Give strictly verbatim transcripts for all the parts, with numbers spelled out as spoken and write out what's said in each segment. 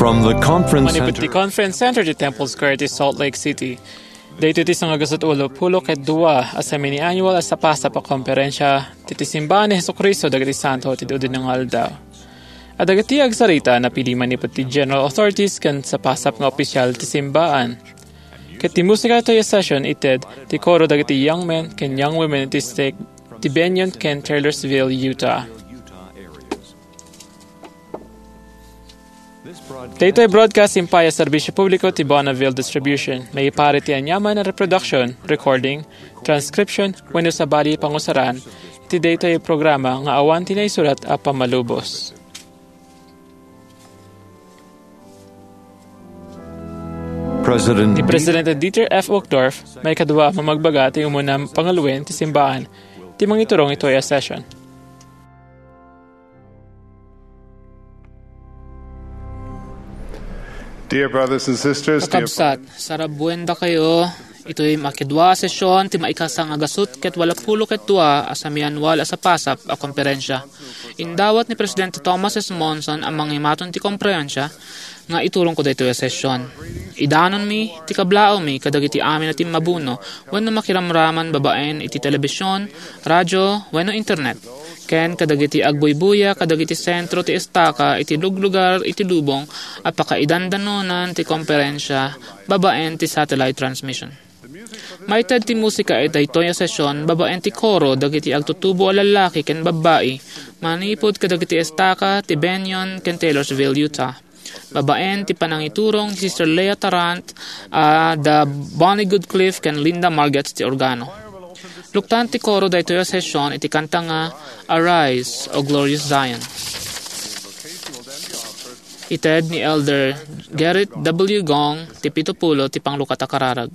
From the conference Manipud ti center. Conference Center ti Temple Square ti Salt Lake City. Daytoy ti sangagasut ulo pulo ket dua a semi-annual a sapasap a komperensia ti, ti Simbaan ni Jesu-Cristo dagiti Santo ti Dudinna nga Aldaw. A dagiti agsarita napili manipud ti general authorities ken sapasap nga opisyal ti simbaan. Ket ti musika itoy a session ited ti koro dagiti young men ken young women iti stake ti Bennion ken Taylorsville, Utah. Daytoy broadcast impay a serbisyo publiko ti Bonneville Distribution. Maiparit ti aniaman a reproduction, recording, transcription, wenno sabali a pangusaran iti daytoy a programa nga awan ti naisurat a pammalubos. President Ni Presidente Dieter F. Uchtdorf, maikadua a mamagbaga ti umuna a pangaluen ti simbaan, ti mangiturong itoy a session. Dear brothers and sisters, dear Kakabsat, sarabuen dakayo, itoy maikadua a session ti maikasang a gasut ket walo pulo ket dua a semiannual a sapasap a komperensia. Indawat ni Presidente Thomas S. Monson a mangimaton ti komperensia nga iturongko daytoy a session. Idanonmi ti kablaawmi kadagiti amin a timmabuno wenno makiramraman babaen iti telebision, radio, wenno internet, ken kadagiti agbuybuya kadagiti sentro ti estaka iti luglugar iti lubong a pakaidandanonan ti komperensia babaen ti satellite transmission. Maited ti musika iti daytoy a session babaen ti koro dagiti agtutubo a lallaki ken babbai manipud kadagiti estaka ti Bennion ken Taylorsville, Utah. Babaen ti panangiturong ni Sister Leah Tarrant a da Bonnie Goodcliff ken Linda Margetts ti organo. Luktan ti koro daytoy a session iti kanta nga Arise, O Glorious Zion. Ited ni Elder Gerrit W. Gong ti pito pulo ti panglukat a kararag.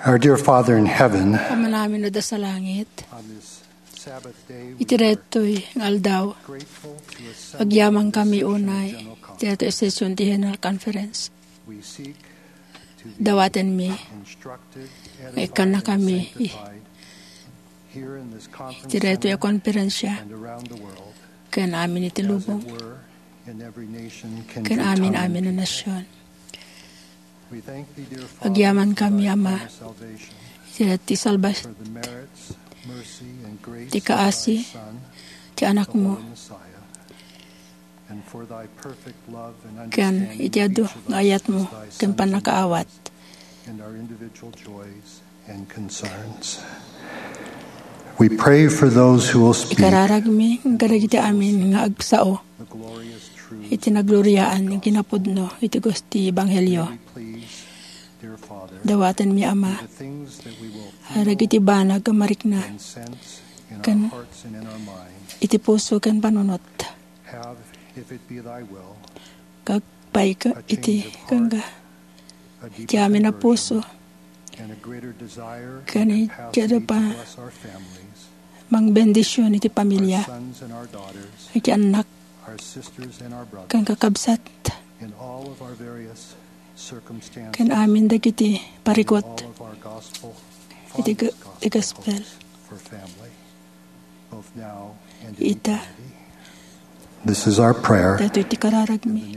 Our dear Father in heaven, Ama namin a naisalangit, on this Sabbath day, we iti daytoy nga aldaw, grateful to assemble agyamankami unay iti daytoy a session ti General Conference. We seek to be Dawatenmi instructed, nga ikkannakami edified, sanctified here in this conference iti daytoy a center, konferensya and around the world, ken amin iti as it lubong, were in every nation, ken kindred, amin-amin a tongue, and people. Nasion. We thank thee, dear Father, for thy plan of salvation. Agyamankami, Ama, iti salbas-, for the merits, mercy, and grace of thy Son, the Holy Messiah, ti kaasi ti Anakmo, and for thy perfect love and understanding of each of us as thy sons and daughters, ken iti adu nga ayatmo ken pannakaawat. And our individual joys and concerns. We pray for those who will speak. Ikararagmi kadagiti amin nga agsao the glorious truths iti nagloriaan nga kinapudno iti gus-, ti Ebanghelio. May we please, dear Father, dawatenmi, Ama, the things that we will feel, dagiti banag a marikna, incense in our ken hearts and in our minds, iti puso ken panunot. Have, if it be thy will, Agpayka iti kangga, iti amin a puso, ken iti adu pa mangbendision iti pamilia, iti annak, ken kakabsat, ken amin dagiti parikut iti ga-, iti gospel. Ita. This is our prayer. Daytoy ti kararagmi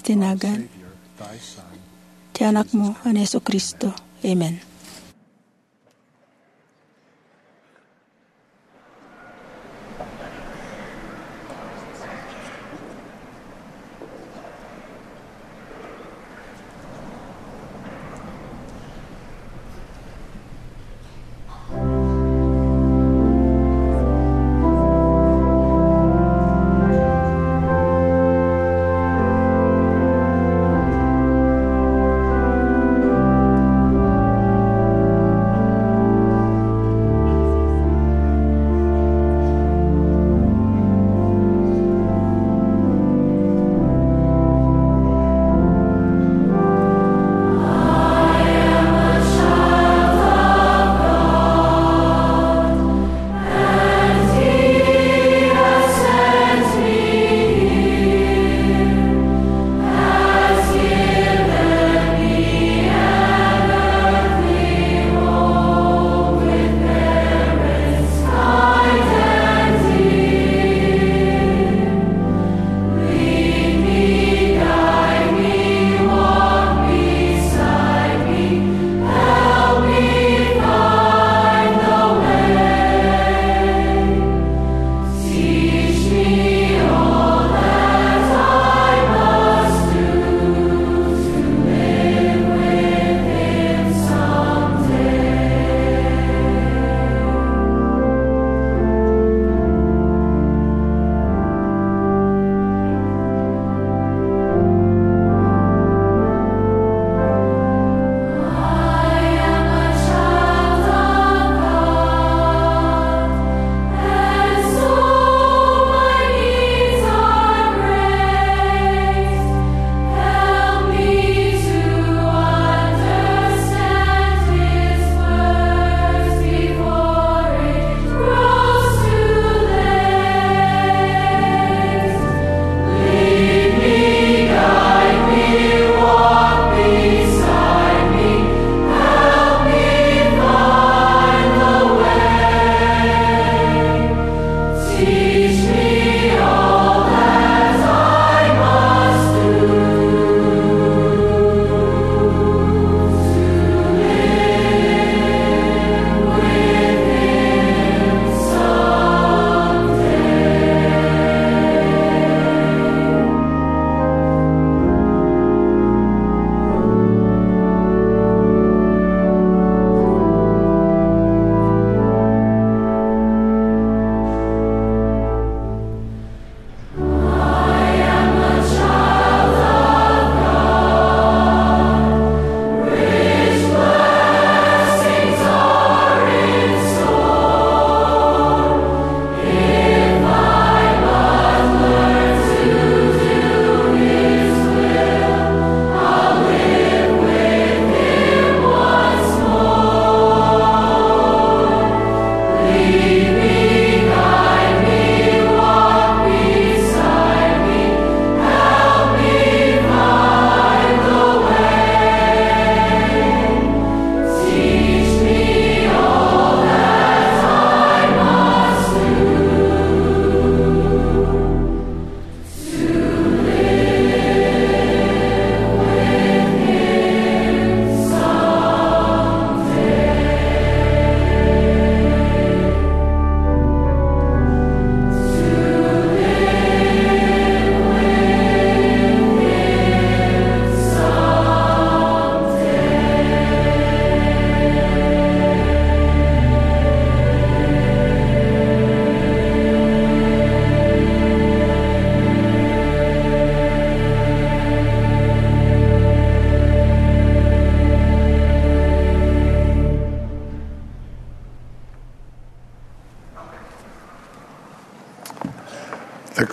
iti nagan ti Anakmo a ni Jesu-Cristo. Amen.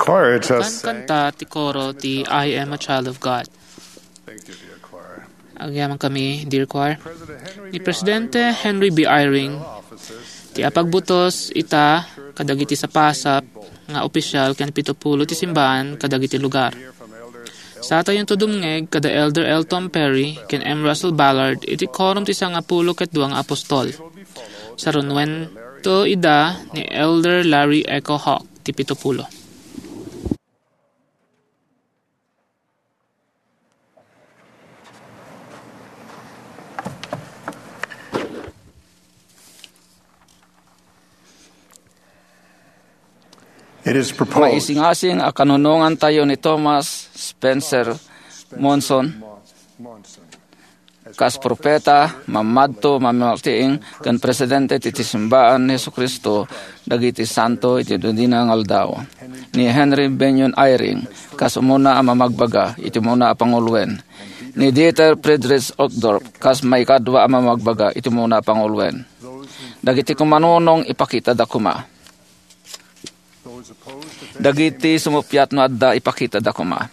Choir, it just sang. Kankanta ti koro ti "I Am a Child of God." Thank you, dear choir. Agyamankami, dear choir. Ni Presidente Henry B. Eyring, ti apagbutos ita kadagiti sapasap nga opisyal ken pitupulo ti simbaan kadagiti lugar. Satayonto dumngeg kada Elder L. Tom Perry ken M. Russell Ballard iti Quorum ti Sangapulo ket Dua nga Apostol. Sarunuento ida ni Elder Larry Echo Hawk ti pitupulo. It is proposed. Maisingasing a kanunongantayo ni Thomas Spencer Monson kas propeta, mammadto, mammaltiing, ken presidente ti, ti simbaan ni Jesu-Cristo dagiti santo iti dudina nga aldaw. Ni Henry Bennion Eyring kas umuna a mamagbaga iti umuna a panguloen. Ni Dieter Friedrich Uchtdorf kas maikadua a mamagbaga iti umuna a panguloen. Dagiti kumanunong, ipakitada koma. Dagiti sumuppiat no adda, ipakitada koma.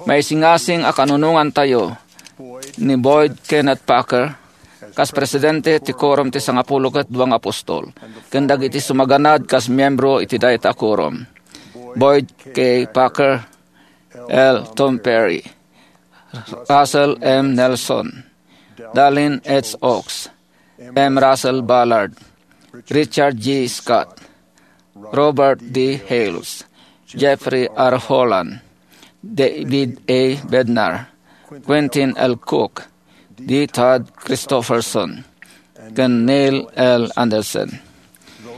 Maisingasing a kanunongantayo ni Boyd Kenneth Packer kas presidente ti Quorum ti Sangapulo ket Dua nga Apostol, ken dagiti sumaganad kas miembro iti dayta a quorum: Boyd K. Packer, L. Tom Perry, Russell M. Nelson, Dallin H. Oaks, M. Russell Ballard, Richard G. Scott, Robert D. Hales, Jeffrey R. Holland, David A. Bednar, Quentin L. Cook, D. Todd Christofferson, ken Neil L. Andersen.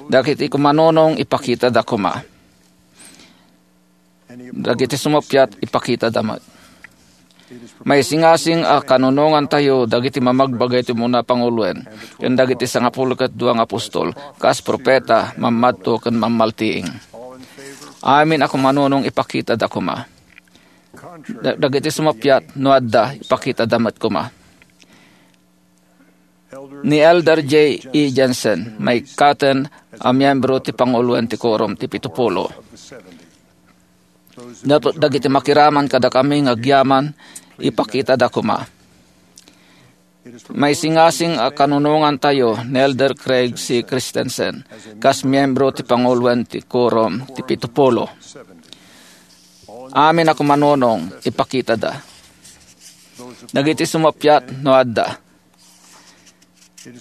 Dagiti kumanunong, ipakitada koma. Dagiti sumuppiat, ipakitada met. Maisingasing a kanunongantayo dagiti mamagbaga iti umuna a panguloen, ken dagiti sangapulo ket dua nga apostol, kas propeta, mammadto, ken mammaltiing. Amin a kumanunong, ipakitada koma. Da-, dagiti sumuppiat, no adda, ipakitada met koma. Ni Elder J. E. Jensen, maikkaten a miembro ti panguloen ti Quorum ti Pitupulo. Dagiti makiraman kadakami nga agyaman, ipakitada koma. Maisingasing a kanunongantayo ni Elder Craig C. Christensen kas miembro ti panguloen ti Quorum ti Pitupulo. Amin a kumanunong, ipakitada. Dagiti sumuppiat, no adda.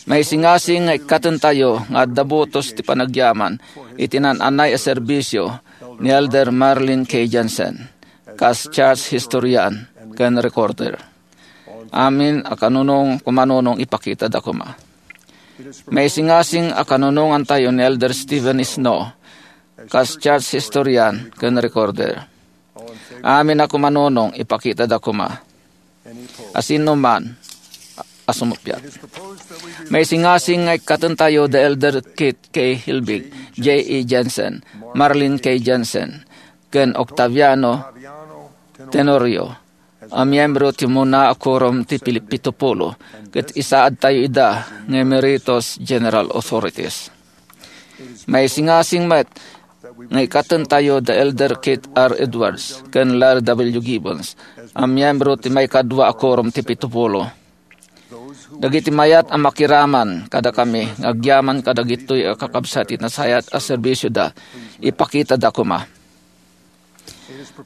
Maisingasing nga ikkatentayo nga adda butos ti panagyaman iti naan-anay a serbisyo ni Elder Marlin K. Jensen kas church historian ken recorder. Amin a kanunong, kumanunong, ipakitada koma. Maisingasing a kanunongantayo ni Elder Stephen Snow kas church historian ken recorder. Amin a kumanunong, ipakitada koma. Asino man a sumuppiat. Maisingasing nga ikkatentayo da Elder Keith K. Hilbig, J. E. Jensen, Marlin K. Jensen, ken Octaviano Tenorio a miembro ti umuna a Quorum ti Pili-, Pitupulo, ket isaadtayo ida nga Emeritus General Authorities. Maisingasing met nga ikkatentayo da Elder Keith R. Edwards ken Larry W. Gibbons a miembro ti maikadua a Quorum ti Pitupulo. Dagiti mayat a makiraman kadakami nga agyaman kadagitoy a kakabsat iti nasayaat a serbisioda, ipakitada koma.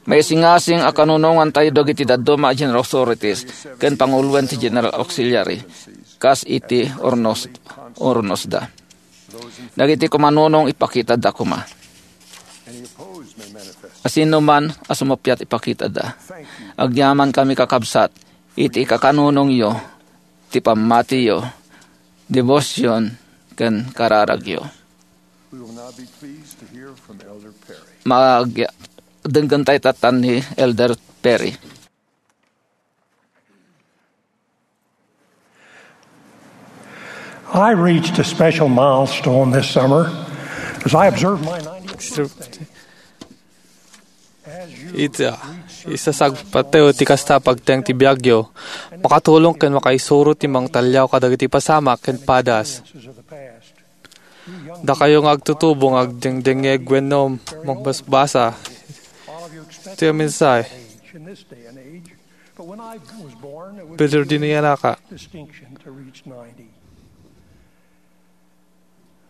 Maisingasing a kanunongantayo dagiti dadduma a General Authorities ken panguloen ti General Auxiliary kas iti urnos, urnosda. Dagiti kumanunong, ipakitada koma. Asino man a sumuppiat, ipakitada. Agyamankami, kakabsat, iti kakanunongyo, ti pammatiyo, debosion, ken kararagyo. We will now be pleased to hear from Elder Perry. Mag-, denggen tayo tatan ni Elder Perry. I reached a special milestone this summer as I observed my ninety. Ita, isasagpatyo ti kasta pagteng ti biagyo, makatulong ken makaisuro ti mangtaliaw kadagiti pasamak ken padas. Dakayo nga agtutubo nga agdengdengngeg wenno mangbasbasa ti mensahe. Bitter din iyanaka.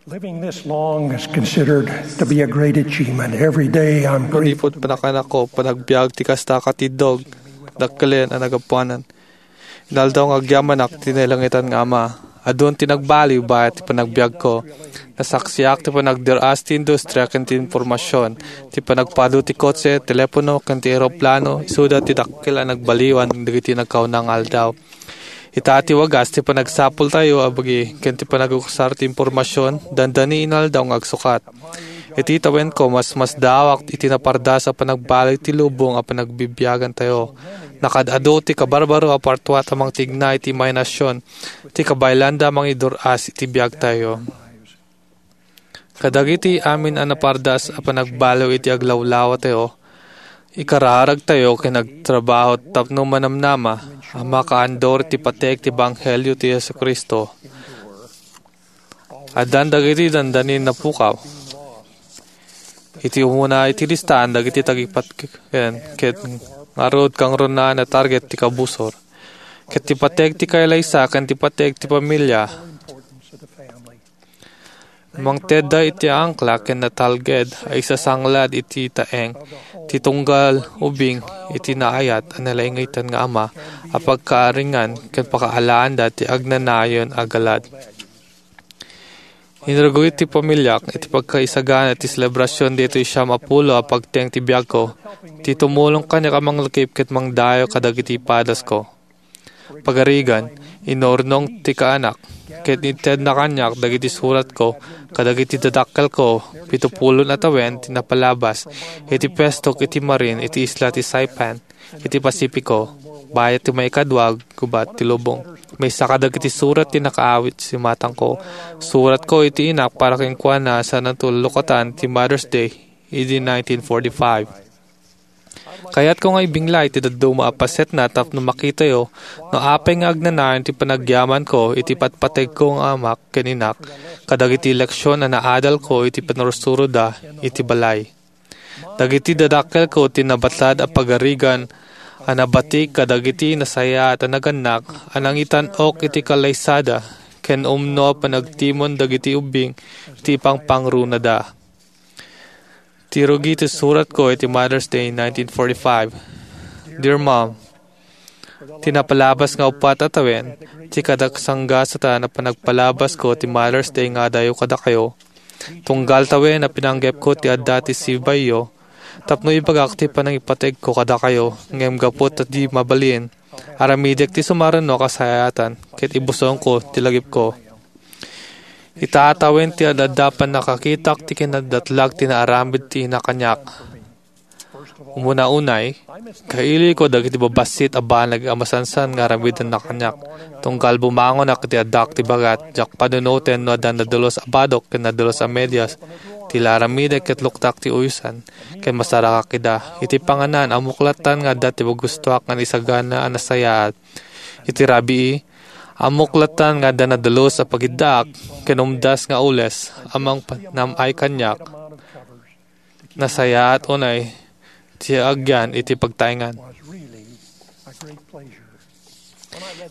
Living this long is considered to be a great achievement. Every day I'm grateful. Manipud panakanakko, panagbiag ti kasta a katindog, dakkelen a nagapuanan. Inaldaw nga agyamanak ti nailangitan nga Ama. Adun ti nagbaliw bayat ti panagbiagko. Nasaksiak ti panagder-as ti industria ken ti impormasion, ti panagpado ti kotse, telepono, ken ti eroplano, isuda ti dakkel a nagbaliwan dagiti nagkauna nga aldaw. Ita ti wagas ti panagsapultayo a bagi ken ti panagusar ti impormasion, dandani inaldaw nga agsukat. Iti tawenko, masmasdaawak iti napardas a panagbaliw ti lubong a panagbibiagantayo. Nakaad-adu ti kabarbaro a partuat a mangtigna iti imahinasyon ti kabaelanda a mangidur-as iti biagtayo. Kadagiti amin a napardas a panagbaliw iti aglawlawatayo, ikararagtayo ken agtrabaho tapno manamnama a makaandur ti pateg ti ebanghelio ti Jesu-Cristo. Addan dagiti dandani napukaw. Iti umuna iti listaan dagiti tagipatken ket ngarud kangrunaan a target ti kabusor. Ket ti pateg ti kailaysa ken ti pateg ti pamilia. Mangtedda iti angkla ken natalged a isasanglad iti taeng ti tunggal ubing iti naayat a nalaingitan nga Ama a pagkaaringan ken pakaalaanda ti agnanayon a galad. Inrugi ti pamiliak iti pagkaisagana ti selebrasion ditoy siam a pulo a pagteng ti biagko, ti tumulong kaniak a manglakip ket mangdayaw kadagiti padasko. Pagarigan, inurnong ti kaanak, ket intedna kaniak dagiti suratko kadagiti dadakkelko, pito pulo a tawen ti napalabas iti puestok iti marin iti isla ti Saipan, iti Pasifiko, bayat ti maikadua a gubat ti lubong. Maysa kadagiti surat ti nakaawit ti imatangko. Suratko iti inak para kenkuana a saanto lukatan ti Mother's Day idi nineteen forty-five. Kayatko nga ibingla iti dadduma a pasetna tapno makitayo no apay nga agnanayon ti panagyamanko iti patpategko nga amak ken inak kadagiti leksion a naadalko iti panursuroda iti balay. Dagiti dadakkelko ti nabatad a pagarigan a nabati kadagiti nasayaat a nagannak a nangitan-ok iti kalaysada ken umno a panagtimon dagiti ubbing iti ipangpangrunada. Ti rugi ti suratko iti Mother's Day nineteen forty-five. Dear Mom, ti napalabas nga uppat a tawen, ti kadaksanggasatan a panagpalabasko ti Mother's Day nga adayo kadakayo. Tunggal tawen a pinanggepko ti adda ti sibayyo, tapno ibagak ti panangipategko kadakayo, ngem gapu ta di mabalin, aramidek ti sumaruno a kasayaatan, ket ibusongko ti lagipko. Ita a tawen ti ad-adda pannakakitak ti kinadatlag ti naaramid ti ina kaniak. Umuna unay, kaililko dagiti babassit a banag a masansan nga aramidenna kaniak. Tunggal bumangonak iti addak ti bagat, diak panunoten no adda nadulus a badok ken nadulus a medias ti la aramidek ket luktak ti uyosan, ken masarakak ida. Iti panganan, ammok lattan nga adda ti magustoak nga naisagana a nasayaat. Iti rabii, ammok lattan nga adda nadulus a pagiddaak ken umdas nga ules a mangpanam-ay kaniak. Nasayaat unay ti agyan iti pagtaengan.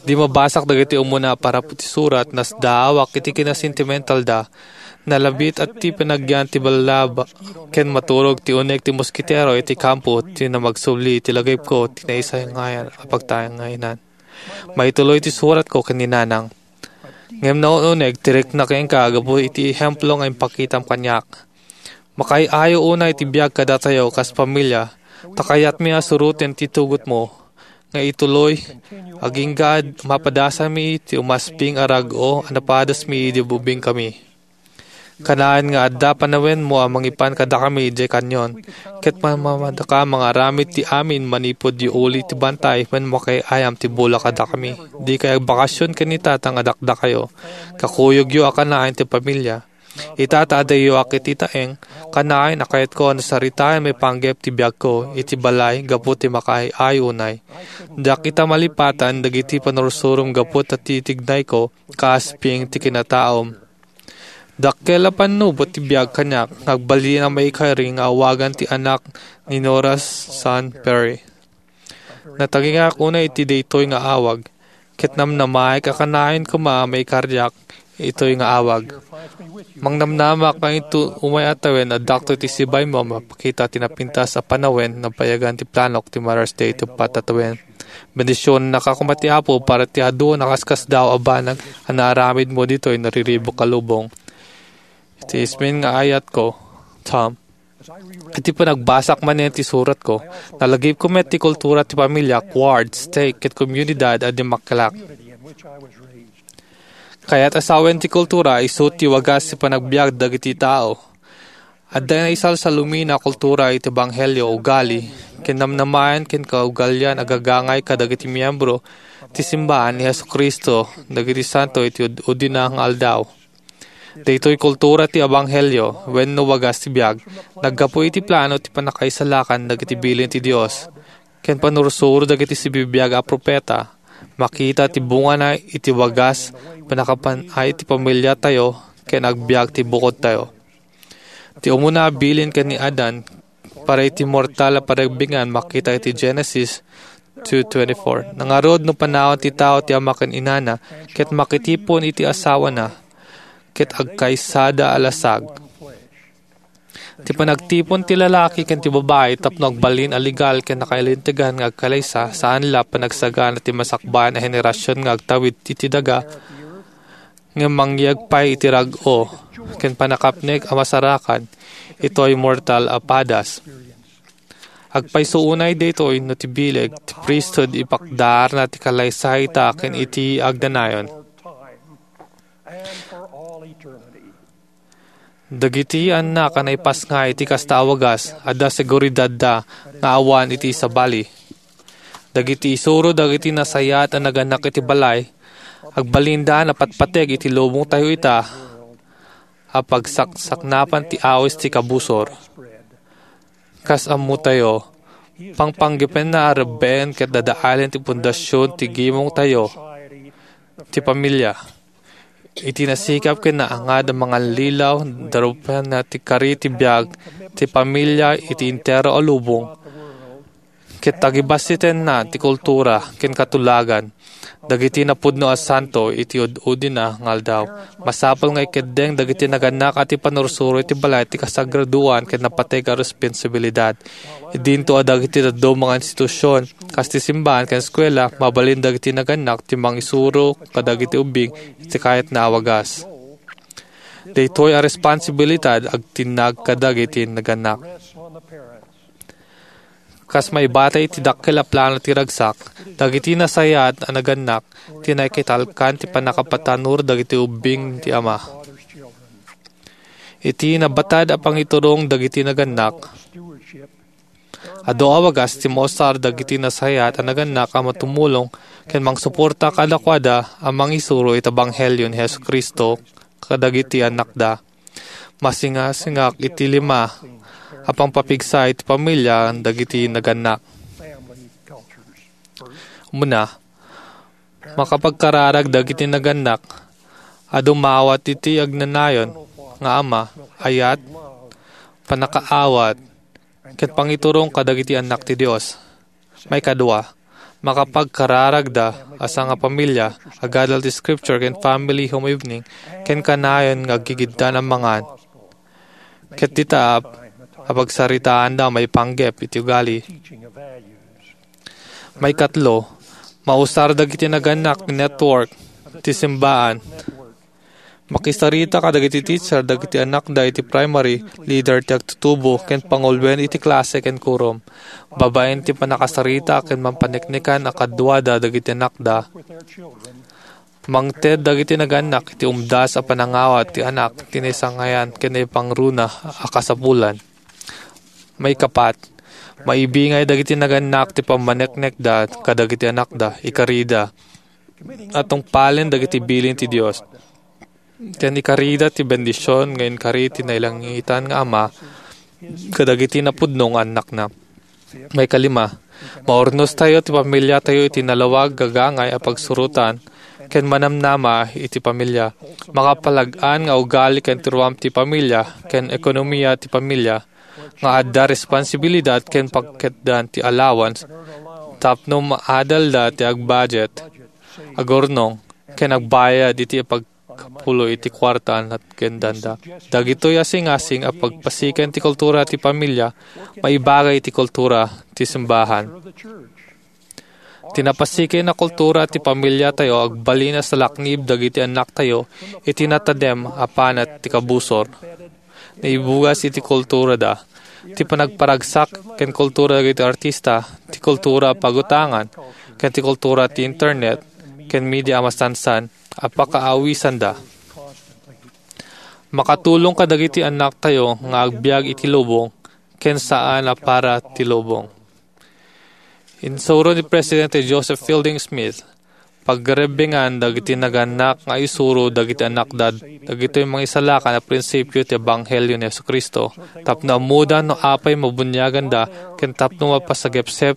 Idi mabasak dagiti umuna a parapo ti surat, nasdaawak iti kinasentimentalda. Nalabit a ti panagyan ti ballaba ken maturog ti uneg ti moskitero iti kampo ti namagsubli iti lagipko ti naisangayan a pagtaenganan. Maituloy ti suratko ken ni Nanang. Ngem naun-uneg ti rikna kenka gapu iti ehemplo nga impakitam kaniak. Makaay-ayo unay ti biag kadatayo kas pamilia, ta kayatmi a suroten ti tugotmo nga ituloy, agingga a mapadasanmi ti umasping a rag-o a napadasmi idi ubingkami. Kanayon nga adda panawenmo a mangipan kadakami idiay kanyon, ket mamamadaka mangaramid ti amin manipud uli ti bantay wen makaay-ayam ti bulak kadakami. Dikay agbakasyon ken ni Tatang a dakdakayo. Kakuyogyo a kanayon ti pamilia. Ita ta adayoak iti taeng, kanayon a kayatko a nasaritaen maipanggep ti biagko iti balay gapu ti makaay-ayo unay. Diak ita malipatan dagiti panursurom gapu ta titignayko kas ping ti kinataom. Dakkel a pannubo ti biag kaniak nga agbalin a maikari nga awagan ti anak ni Nora San Perry. Natagingak unay iti daytoy nga awag, ket namnamaek a kanayon koma a maikariak itoy nga awag. Mangnamnamak nga inton umay a tawen, adda ditoy ti sibaymo a mapakita ti napintas a panawen. Napayagan ti planok ti Mother's Day ti uppat a tawen. Bendisionannaka koma ti Apo para ti adu a nakaskasdaaw a banag a naaramidmo ditoy nariribuk a lubong. Iti ismin nga ayatko, Tom. Iti panagbasak manen ti suratko, nalagipko met ti kultura ti pamilya, ward, stake, ket komunidad a dimmakkelak. Kayat a sawen ti kultura, isu ti wagas ti panagbiag dagiti tao. Adda naisalsalumina a kultura iti ebanghelio, ugali, ken namnamaen ken kaugalian a gagangay kadagiti miyembro ti simbaan ni Jesu-Cristo dagiti Santo iti Ud-, Udina nga Aldaw. Daytoy kultura ti ebanghelio wenno wagas ti biag, naggapu iti plano ti pannakaisalakan dagiti bilin ti Dios ken pannursuro dagiti sibibiag a profeta. Makita ti bungana iti wagas, pannakapan-ay ti pamiliatayo ken agbiag ti bukodtayo. Ti umuna a bilin ken ni Adan para iti mortal a panagbiagan makita iti Genesis two twenty-four. Nangarud no panawan ti tao ti ama ken inana, ket makitipon iti asawana, ket agkaysada a lasag. Ti panagtipon ti lalaki ken ti babai tapno agbalin a legal ken nakalintegan nga agkalaysa, saan la panagsagana ti masakbayan a henerasion nga agtawid iti daga, ngem mangyeg pay iti rag-o ken pannakapnek a masarakan itoy mortal a padas. Agpayso unay daytoy no ti bileg ti priesthood ipakdaarna ti kalaysayta ken iti agnanayon. Dagiti annak a naipasngay iti kasta a wagas, adda seguridadda nga awan iti sabali. Dagiti isuro dagiti nasayaat a nagannak iti balay, agbalinda a napatpateg iti lubongtayo ita a pagsaksaknapan ti awis ti kabusor. Kas ammotayo, pangpanggepenna a rebbeen ket dadaelen ti pundasion ti gimongtayo, ti pamilya. Iti nasikap ken naangad a mangallilaw, darupenna ti kari ti biag ti pamilya iti entero a lubong, ket tagibassitenna ti kultura ken katulagan dagiti napudno a santo iti ud-udina nga aldaw. Masapul nga ikeddeng dagiti nagannak a ti pannursuro iti balay ti kasagradoan ken napateg a responsibilidad. Idinto a dagiti dadduma nga institusion, kas ti simbaan ken eskuela, mabalin dagiti nagannak ti mangisuro kadagiti ubbing iti kayatna a wagas. Daytoy a responsibilidad agtinnag kadagiti nagannak. Kas maibatay iti dakkel a plano ti ragsak, dagiti nasayaat a nagannak ti naikitalkan ti pannakapatanur dagiti ubbing ti ama. Iti nabatad a pangiturong dagiti nagannak, adu a wagas ti mausar dagiti nasayaat a nagannak a matumulong ken mangsuporta kadakuada a mangisuro iti ebanghelio ni Jesu-Cristo kadagiti annakda. Masingasingak iti lima a pangpapigsa iti pamilya dagiti nagannak. Umuna, makapagkararag dagiti nagannak a dumawat iti agnanayon nga ama, ayat, pannakaawat, ket pangiturong kadagiti annak ti Dios. Maikadua, makapagkararagda a sangapamilya, agadal ti scripture ken family home evening, ken kanayon nga aggigiddan a mangan. Ket dita a pagsaritaanda maipanggep iti ugali. Maikatlo, mausar dagiti nagannak ti network ti simbaan. Makisarita kadagiti teacher dagiti annakda iti primary, leader ti agtutubo, ken panguluen iti klase ken kurom. Babaen ti pannakasarita ken mampaneknekan a kaduada dagiti annakda, mangted dagiti nagannak iti umdas a panangawat ti anak ti naisangayan ken naipangruna a kasapulan. Maikapat, maibingay dagiti nagannak ti pammaneknekda kadagiti annakda, ikarida a tungpalen dagiti bilin ti Dios, ken ikarida ti bendision nga inkari ti nailangitan nga Ama kadagiti napudno nga annakna. Maikalima, maurnostayo ti pamiliatayo iti nalawag, gagangay a pagsurotan ken manamnama iti pamilia. Makapalag-an nga ugali ken ti ruam ti pamilia ken ekonomia ti pamilia nga adda responsibilidad ken pagketdan ti allowance tapno maadalda ti agbudget, agurnong, ken agbayad iti pagkapulo iti kuarta a natgendanda. Dagitoy asingasing a pagpasiken ti kultura ti pamilia maibaga iti kultura ti simbahan. Ti napasiken a kultura ti pamiliatayo agbalin a salaknib dagiti annaktayo iti natadem a panat ti kabusor. Naibugas iti kulturada. Ti panagparagsak ken kultura dagiti artista, ti kultura a pagutangan, ken ti kultura ti internet ken media a masansan a pakaawisanda. Makatulong kadagiti annaktayo nga agbiag iti lubong ken saan a para ti lubong. Insuro ni Presidente Joseph Fielding Smith, pagrebbengan dagiti nagannak nga isuro dagiti annakda dagitoy mangisalakan a prinsipio ti Ebanghelio ni Jesu-Cristo, tapno ammoda no apay mabuniaganda ken tapno mapasagepsep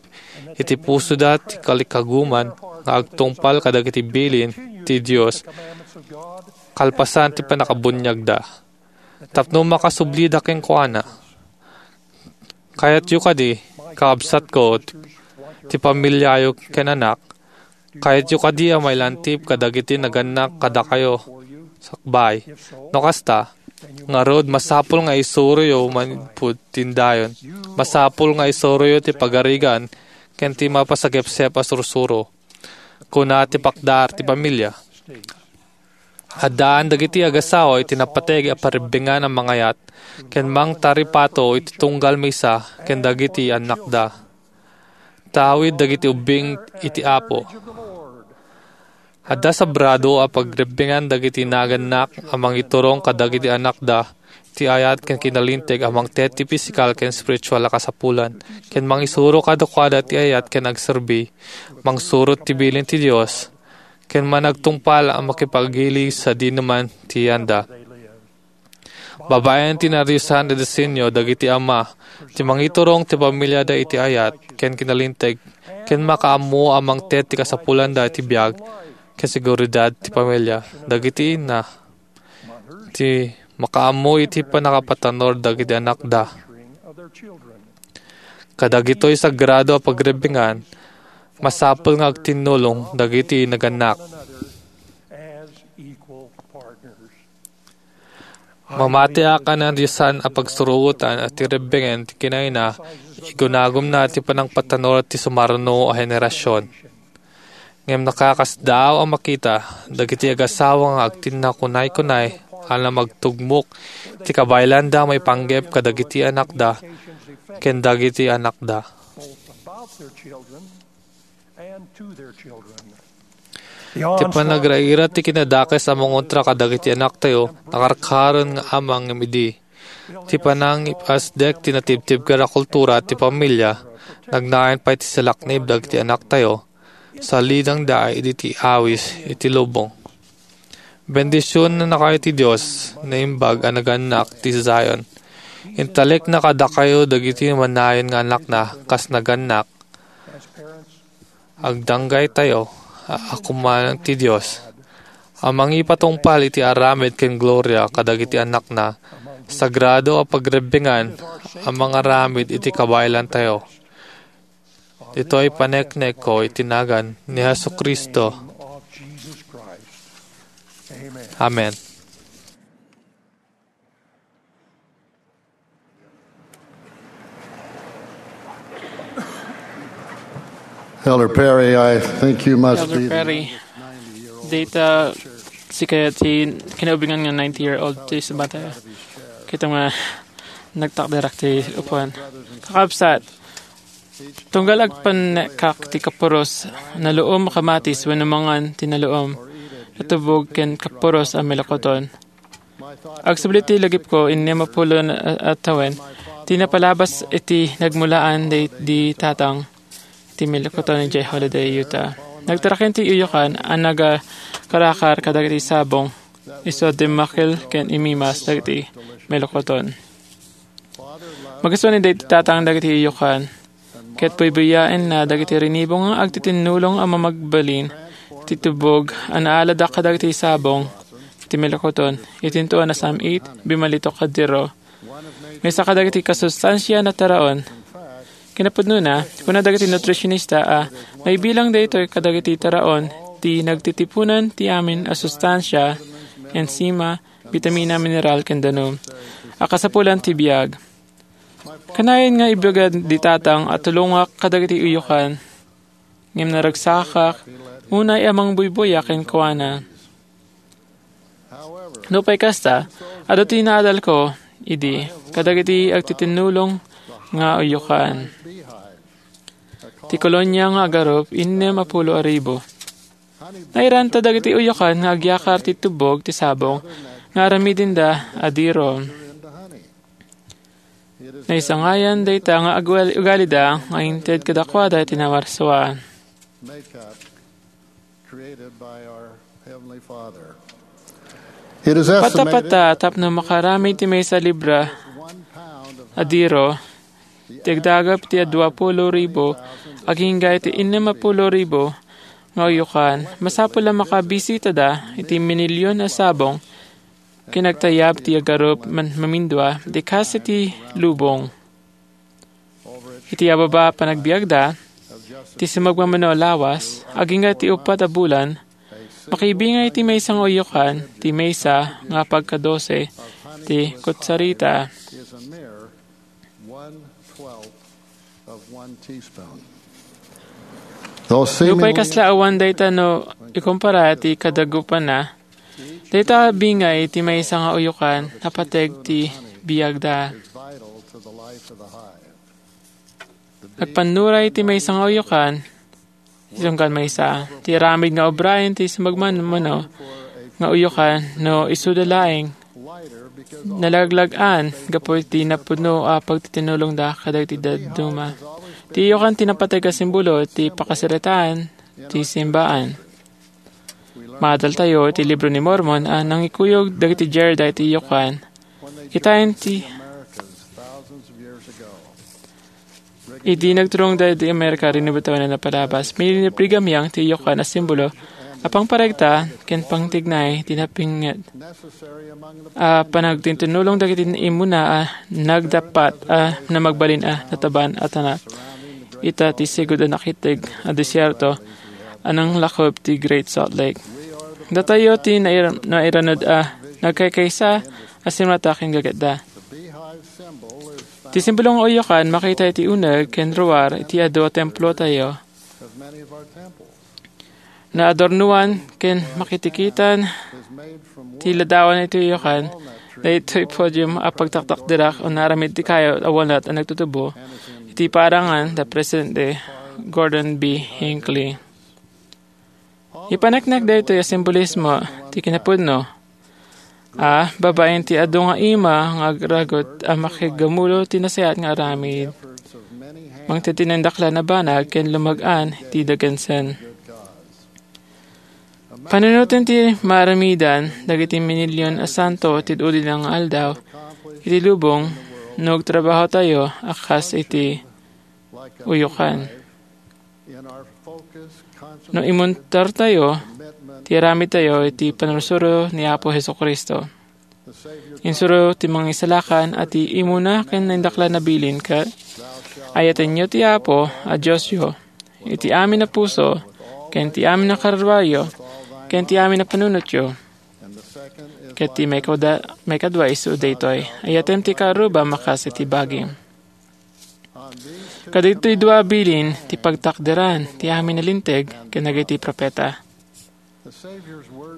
iti pusoda ti kalikaguman nga agtungpal kadagiti bilin ti Dios kalpasan ti pannakabuniagda. Tapno makasublida kenkuana. Kayatyo kadi, kakabsatko, ti pamiliayo ken anak, kayatyo kadi a mailantip kadagiti nagannak kadakayo sakbay. No kasta, ngarud, masapul nga isuroyo manipud tindayon. Masapul nga isuroyo ti pagarigan ken ti mapasagepsep a sursuro. Kuna ti pakdar ti pamilia. Addaan dagiti agasawa iti napateg a parebbengan a mangayat ken mangtaripato iti tunggal maysa ken dagiti annakda. Tawid dagiti ubbing iti Apo. Adda sagrado a pagrebbengan dagiti nagannak a mangiturong kadagiti annakda ti ayat ken kinalinteg a mangted ti pisikal ken spiritual a kasapulan, ken mangisuro kadakuada ti ayat ken agserbi, mangsurot ti bilin ti Dios, ken managtungpal a makipagili sadinoman ti yanda. Babaen ti nadiosan a disenyo dagiti ama ti mangiturong ti pamiliada iti ayat ken kinalinteg, ken makaammo a mangted ti kasapulanda iti biag ken seguridad ti pamilia. Dagiti inna ti makaammo iti pannakapatanor dagiti annakda. Kadagitoy sagrado a pagrebbengan, masapul nga agtinnulong dagiti nagannak. Mamatiak a nadiosan a pagsurotan a ti rebbengen ti kinayna, igunagumna ti panangpatanor ti sumarno a henerasion. Ngem nakakasdaaw a makita dagiti agasawa nga agtinna kunay-kunay a namagtugmok ti kabaelanda maipanggep kadagiti annakda ken dagiti annakda. Ti panagraira ti kinadakes a mangontra kadagiti annaktayo nakarkaren nga ammang ngem idi. Ti panangipasdek ti natibtibker a kultura ti pamilia, nagnayon pay ti salaknib dagiti annaktayo, salidangda idi ti awis iti lubong. Bendisionannakayo ti Dios, naimbag a nagannak ti Zion. Intalekna kadakayo dagiti manayon nga annakna kas nagannak. Agdanggaytayo a, a kumanang ti Dios a mangipatungpal iti aramid ken gloria kadagiti annakna, sagrado a pagrebbengan a mangaramid iti kabaelantayo. Ditoy paneknekko iti nagan ni Jesu-Cristo. Amen. Elder Perry, I think you must Elder be Perry, data sika ti kinaubingan nga ninety-year-old ti sabata. Kita nga nagtakderak ti upuan. Kakabsat, tunggal agpannekak ti kapuros, naluom a kamatis wenno mangan ti naluom, natubog ken kapuros a melokoton. Agsubli ti lagipko, innem a pulo a, a tawen, ti napalabas iti nagmulaan di, di tatang iti melokoton idiay Holladay, Utah. Nagtaraken ti uyokan a nagakarakar kadagiti sabong, isu a dimmakkel ken imimas dagiti melokoton. Magustuan ni daydi tatang dagiti uyokan, ket buybuyaenna dagiti rinibo nga agtitinnulong a mamagbalin ti tubog a naalada kadagiti sabong iti milakuton. Iti intuan a sam-it, bimalitok kadiro. Maysa kadagiti kasustansia a taraon. Kinapudnona, kuna dagiti nutritionista a naibilang daytoy kadagiti taraon ti nagtitipunan ti amin a sustansia, enzima, bitamina, mineral, ken danum a kasapulan ti biag. Kanayon nga ibagad di tatang a tulongak kadagiti uyokan, ngem naragsakak unay a mangbuybuya kenkuana. Nupay kasta, adu ti naadalko idi kadagiti agtitinnulong nga uyokan. Ti kolonia nga agarup, innem a pulo a ribu. Nairanta dagiti uyokan nga agyakar ti tubog ti sabong nga aramidenda a diro. Naisangayan dayta nga agwal-, ugalida nga inted kadakuada ti nawarsuan. It is estimated Patapata tapno makaramid ti maysa libra a diro, ti agdagap ti dua pulo ribu agingga iti innem a pulo ribu nga uyokan. Masapul a makabisitada iti minilyon a sabong ken agtayab ti agarup man mamindua ti kas iti lubong. Iti ababa a panagbiagda, ti sumagmamano a lawas, agingga ti uppat a bulan, makibingay ti maysa nga uyokan, ti maysa nga pagkadose ti kutsarita. Nupay kasla awan dayta no ikumpara ti kadagupanna, dayta bingay ti maysa nga uyokan a pateg ti biagda. Agpannuray ti maysa nga uyokan, isunggan maysa. Ti aramid nga obraen ti sumagmamano nga uyokan no isuda laeng nalaglag-an gapu iti napudno a pagtitinulongda kadagiti dadduma. Ti uyokan ti napateg a simbolo ti pakasaritaan ti simbaan. Maadaltayo iti Libro ni Mormon a nangikuyog dagiti Jareda iti uyokan. Kitaen ti idi nagturongda iti Amerika, rinibutawen a napalabas. Pinili ni Brigham Young ti uyokan a simbolo a pangparegta ken pangtignay ti napinget a panagtitinulong dagiti immuna a nagdappat a namagbalin a nataban a tanat. Ita ti sigud a nakitteg a desierto a nanglakob ti Great Salt Lake. Datayo ti nair-, nairanud a nagkaykaysa a simrata ken gagetda. Ti simbolo nga uyokan makita iti uneg ken ruar iti adu a templotayo. Naadornoan ken makitikitan ti ladawan iti uyokan, daytoy podium a pagtaktakderak a naaramid ti kayo a walnut a nagtutubo iti parangan da Presidente Gordon B. Hinckley. Ipaneknek daytoy a simbolismo ti kinapudno a babaen ti adu nga ima nga agragot a makiggamulo ti nasayaat nga aramid. Mangted ti naindaklan a banag ken lumag-an ti dagensen. Panunoten ti maaramidan dagiti minilyon a santo ti udi nga aldaw iti lubong no agtrabahotayo a kas iti uyokan. No imuntartayo ti aramidtayo iti pannursuro ni Apo Jesu-Cristo. Insuro ti Mangisalakan a ti imuna ken naindaklan a bilin ket, "Ayatenyo ti Apo a Diosyo iti amin a puso, ken ti amin a karruayo, ken ti amin a panunotyo." Ket ti maikada-, maikadua isu daytoy, "Ayatem ti kaarruba makas iti bagim." Kadagitoy dua a bilin ti pagtakderan ti amin a linteg ken dagiti profeta.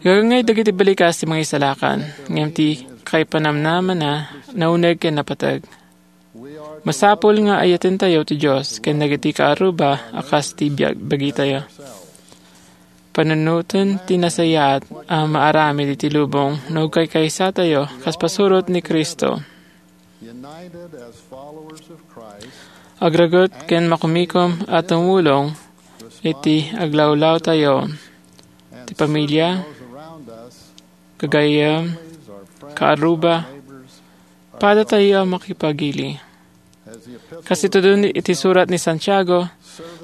Gagangay dagiti balikas ti Mangisalakan, ngem ti kaipanamnamana nauneg ken napateg. Masapul nga ayatentayo ti Dios ken dagiti kaarruba a kas ti biag-, bagitayo. Panunoten ti nasayaat a maaramid iti lubong no agkaykaysatayo kas pasurot ni Cristo. Agragot ken makumikom a tumulong iti aglawlawtayo, ti pamilya, gagayyem, kaarruba, padatayo a makipagili. Kas itudon iti surat ni Santiago,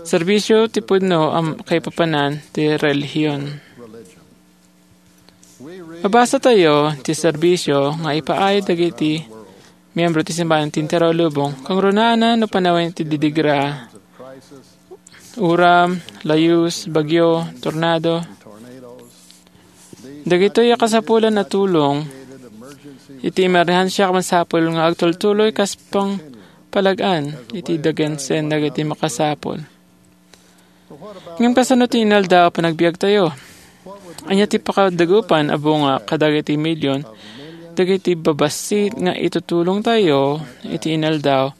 Serbisio ti pudno a kaipapanan ti relihion. Mabasa tayo ti serbisio nga ipaay dagiti miyembro ti simbahan ti entero a lubong, kangrunaanna no panawen ti didigra, uram, layus, bagyo, tornado. Dagitoy a kasapulan a tulong iti emerhensia masapul nga agtultuloy kas pangpalag-an iti dagensen dagiti makasapul. Ngem kasano ti inaldaw a panagbiagtayo? Ania ti pakadagupan a bunga kadagiti milyon dagiti babassit nga itutulongtayo iti inaldaw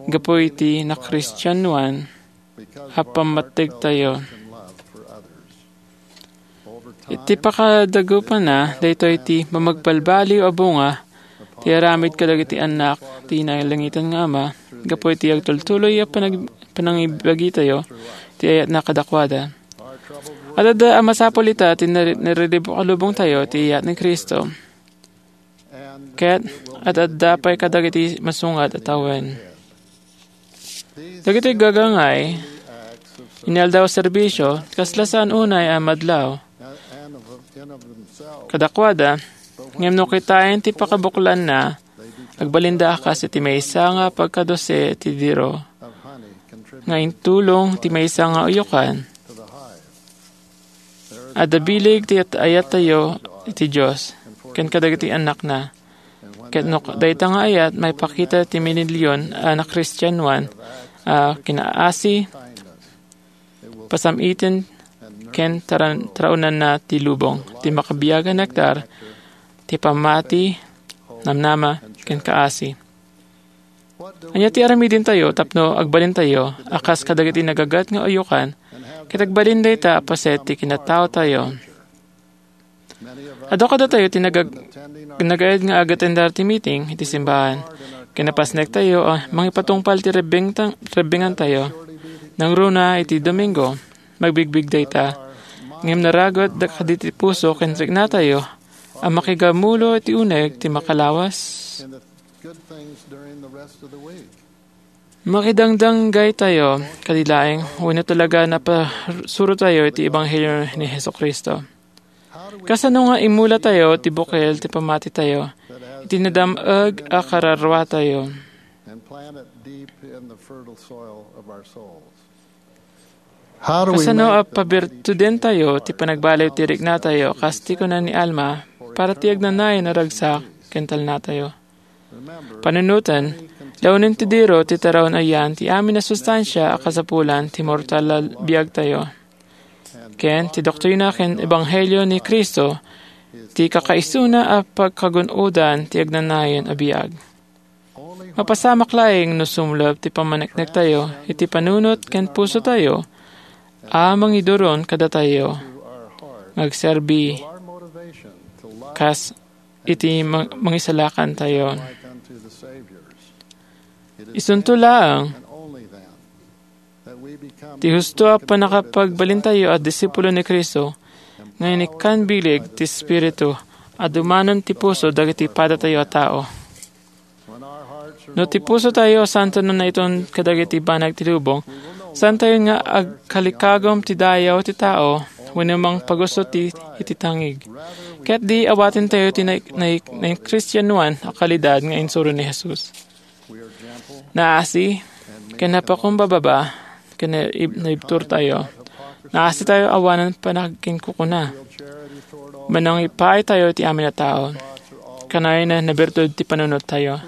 gapu iti nakristianoan a pammategtayo? Iti pakadagupanna, daytoy ti mamagbalbaliw a bunga ti aramid kadagiti annak ti nailangitan nga Ama gapu iti agtultuloy a panag-, panangibagitayo ti ayatna kadakuada. Adda a masapul ita ti nari-, nariribuk a lubongtayo ti iyat ni Cristo. Ket adda pay kadagiti masungat a tawen. Dagiti gagangay, inaldaw a serbisio, kasla saan unay a madlaw. Kadakuada, ngem no kitaen ti pakabuklanna, agbalinda a kas iti maysa nga pagkadose ti diro nga intulong ti maysa nga uyokan. Adda bileg ti ayat-, ayattayo iti Dios ken kadagiti annakna. Ket no dayta nga ayat, maipakita ti minilyon a nakristianoan a kinaasi, pasam-iten, ken taran-, taraonanna ti lubong, ti makabiag a nektar ti pammati, namnama, ken kaasi. Ania ti aramidentayo tapno agbalintayo a kas kadagiti nagagat nga uyokan ket agbalin dayta a paset ti kinataotayo? Adu kadatayo ti nagag-, nagaed nga agatendar ti meeting iti simbahan. Kinapasnektayo a mangipatungpal ti rebbengta-, rebbengantayo. Nangruna iti Domingo, magbigbig dayta. Ngem naragut da-, kaditi puso ken riknatayo a makigamulo iti uneg ti makalawas. Makidangdanggaytayo kadi laeng wenno talaga napasurotayo iti ebanghelio ni Jesu-Cristo? Kasano nga imulatayo ti bukel ti pammatitayo iti nadam-eg a kararruatayo? Kasano a pabirtudentayo ti panagbaliw ti riknatayo, kas ti kuna ni Alma, para ti agnanayon a ragsak ken talnatayo? Panunoten, launen ti diro ti taraon a yan ti amin a sustansia a kasapulan ti mortal a biagtayo. Ken ti doktrina ken ebanghelio ni Cristo ti kakaisuna a pagkagun-odan ti agnanayon a biag. Mapasamak laeng no sumlep ti pammaneknektayo iti panunot ken pusotayo a mangiduron kadatayo nga agserbi kas iti mang-, mangisalakantayo. Isunto laeng ti husto a pannakapagbalintayo a disipulo ni Cristo nga inikkan bileg ti Espiritu a dumanon ti puso dagiti padatayo a tao. No ti pusotayo santo no naiton kadagiti banag ti lubong, saantayo nga agkalikagum ti dayaw ti tao wenno mangpagusto ti, iti tangig. Ket di awatentayo ti nai-, nai-, naikristianoan a kalidad nga insuro ni Jesus. Naasi ken napakumbaba ken naib-, naibturtayo. Naasitayo awanen panakinkukuna. Manangipaaytayo iti amin a tao. Kanayon a nabirtud ti panunottayo.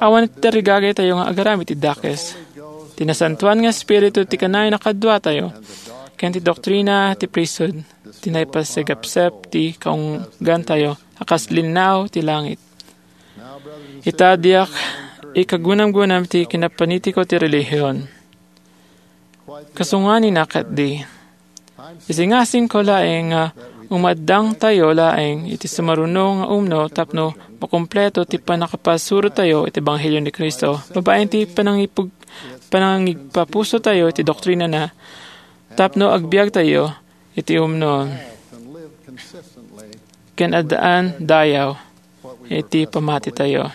Awan ti tarigagaytayo nga agaramid ti dakes. Ti Nasantoan nga Espiritu ti kanayon a kaduatayo, ken ti doktrina ti priesthood ti naipasigapsep ti kaunggantayo a kas linnao ti langit. Ita, diak ikagunamgunam ti kinapanitiko ti relihion. Kasunganina ketdi. Isingasingko laeng nga umaddangtayo laeng iti sumaruno nga umno tapno makumpleto ti pannakapasurotayo iti ebanghelio ni Cristo, babaen ti panangipug-, panangigpapusotayo iti doktrinana, tapno agbiagtayo iti umno ken addaan dayaw iti pammatitayo.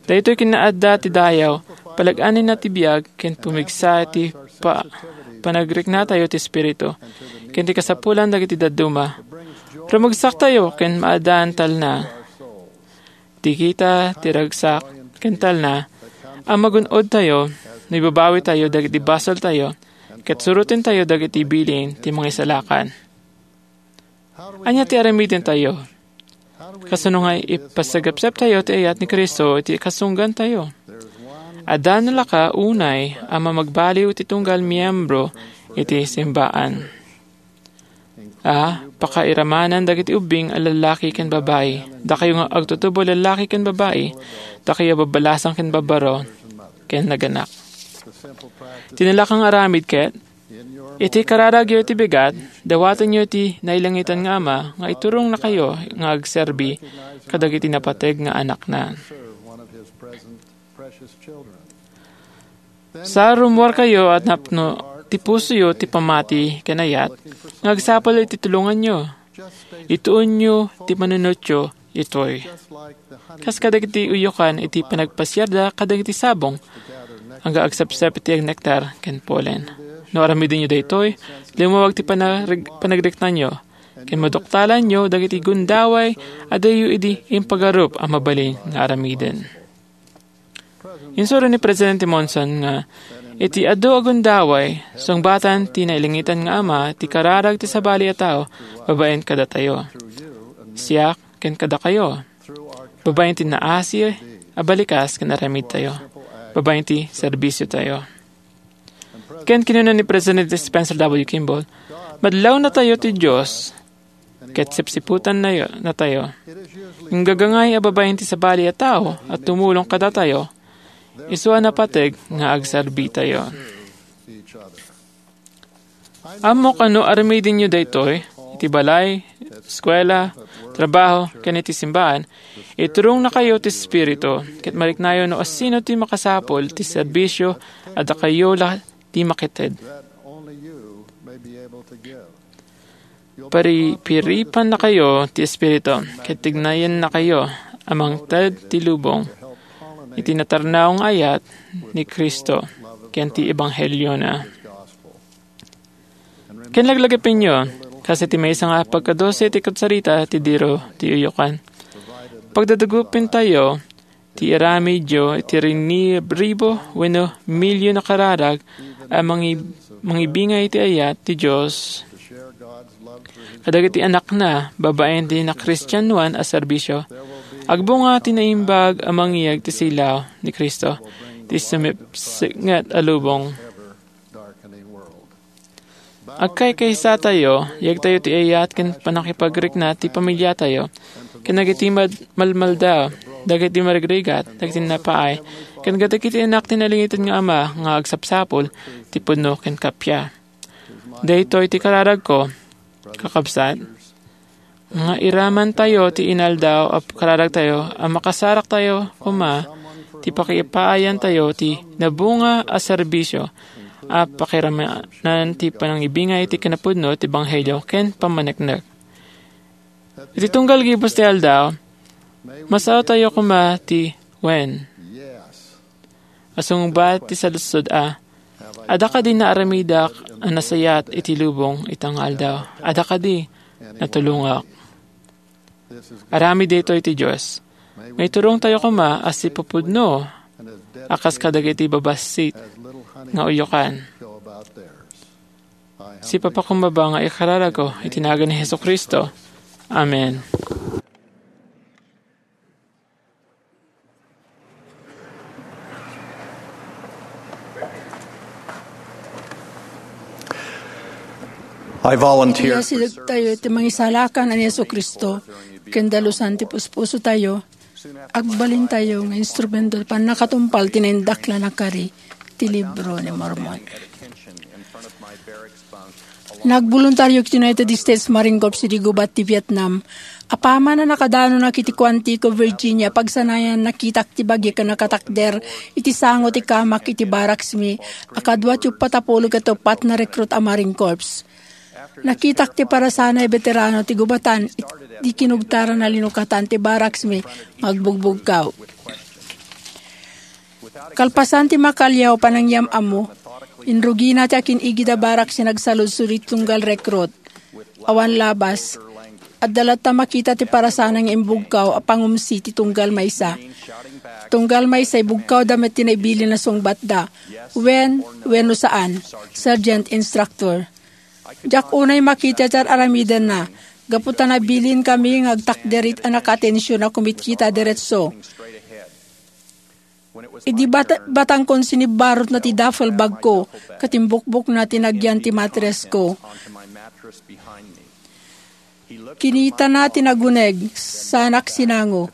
Daytoy kinaadda ti dayaw Palag-anenna ti biag ken pumigsa ti pa-, panagriknatayo ti Espiritu ken ti kasapulan dagiti dadduma. Rumegsaktayo ken maaddaan talna. Ti kita ti ragsak ken talna a magun-odtayo no ibabawitayo dagiti basoltayo ket surotentayo dagiti bilin ti mangisalakan. Ania ti aramidentayo? Kasano nga ipasagepseptayo ti ayat ni Cristo iti kasunggantayo? Adda nalaka unay a mamagbaliw iti tunggal miyembro iti simbaan. A, pakairamanan dagiti ubbing a lallaki ken babai. Dakayo nga agtutubo lallaki ken babai. Dakayo a babbalasang ken barbaro ken naganak. Ti nalaka nga aramid ket, iti kararagyo iti bigat, dawatenyo ti nailangitan nga Ama nga iturongnakayo nga agserbi kadagiti napateg nga anakna. Sa rummuarkayo a napno ti pusoyo ti pammati ken ayat nga agsapul iti tulonganyo. Ituonyo ti panunotyo itoy. Kas kadagiti uyokan iti panagpasiarda kadagiti sabong, nga agsepsep iti nektar ken polen. No aramidenyo daytoy, limmawag ti panareg-, panagriknanyo, ken maduktalanyo dagiti gundaway a diyo idi impagarup a mabalin nga aramiden. Insuro ni Presidente Monson nga, iti adu a gundaway, sungbatan ti nailangitan nga Ama ti kararag ti sabali a tao babaen kadatayo. Siak ken kadakayo. Babaen ti naasi a balikas ken aramidtayo. Babaen ti serbisiotayo. Ken kinuna ni Presidente Spencer W. Kimball, madlawnatayo ti Dios ket sipsiputan natayo. Nagagangay a babaen ti sabali a tao a tumulong kadatayo, isu a napateg nga agserbitayo. Ammok a no aramidenyo daytoy, iti balay, eskuela, trabaho, ken iti simbaan, iturongnakayo ti Espiritu, ket mariknayo no asino ti makasapul ti serbisio a dakayo la ti makited. Paripiripannakayo ti Espiritu, ket tignayennakayo a mangted ti lubong iti natarnaw nga ayat ni Cristo ken ti ebangheliona. Ken laglagipenyo, kas iti maysa nga pagkadose ti karsarita ti diro ti uyokan. Pagdadagupentayo ti aramidyo iti rinibribo wenno milyon a kararag a mangi-, mangibingay iti ayat ti Dios kadagiti anakna babaen ti nakristianoan a serbisio. Agbunga ti naimbag a mangyeg ti silaw ni Cristo ti sumipsipnget a lubong. Agkaykaysatayo, yegtayo ti ayat ken pannakipagrikna ti pamiliatayo, ken dagiti mad-, malmalda, dagiti marigrigat, dagiti napaay, ken kadagiti anak ti nailangitan nga Ama nga agsapsapul ti pudno ken kappia. Daytoy ti kararagko, kakabsat, nga iramantayo ti inaldaw a kararagtayo a makasaraktayo koma ti pakipaayantayo ti nabunga a serbisio a pakiramanan ti panangibingay ti kinapudno ti ebanghelio ken pammaneknek. Iti tunggal gibus ti aldaw, masaotayo koma ti wen. Asungbat ti saludsod a, adda kadi naaramidak a nasayaat iti lubong ita nga aldaw? Adda kadi natulongak? Aramid daytoy ti Dios. Maiturongtayo koma a sipupudno a kas kadagiti babassit nga uyokan. Sipapakumbaba nga ikararagko iti nagan ni Jesu-Cristo. Amen. I volunteer for Iyasidegtayo service ti mangisalakan a ni Jesu-Cristo, ken dalusan ti puspusotayo, agbalintayo nga instrumento ti pannakatungpal ti naindaklan a kari ti Libro ni Mormon. Nagboluntario iti United States Marine Corps idi gubat ti Vietnam. Apaman a nakadanonak iti Quantico, Virginia, pagsanayan, nakitak ti bagi ken nakatakder iti sango ti kamak iti barracks mi a kadua ti uppat a pulo ket uppat nga recruit a Marine Corps. Nakitak ti parasanay a veterano ti gubatan iti kinugtaran a linukatan ti barracks mi nga agbugbugkaw. Kalpasan ti makaliaw panangyam-ammo, inrugina ti akin-igid a barak ti nagsaludsod iti tunggal rekrut. Awan labas. Adda latta makita ti parasana nga imbugkaw a pangumsi ti tunggal maysa. Tunggal maysa, ibugkawda met ti naibilin a sungbatda. Wen, wenno saan, Sergeant Instructor. Diak unay makita ti ar-aramidenna, gapu ta nabilinkami nga agtakder iti nakatension a kumitkita diretso. Idi bat-, batangkon sinibbarotna ti duffel bagko, ket imbukbokna ti nagyan ti matresko. Kinitana ti naguneg, sanak sinango.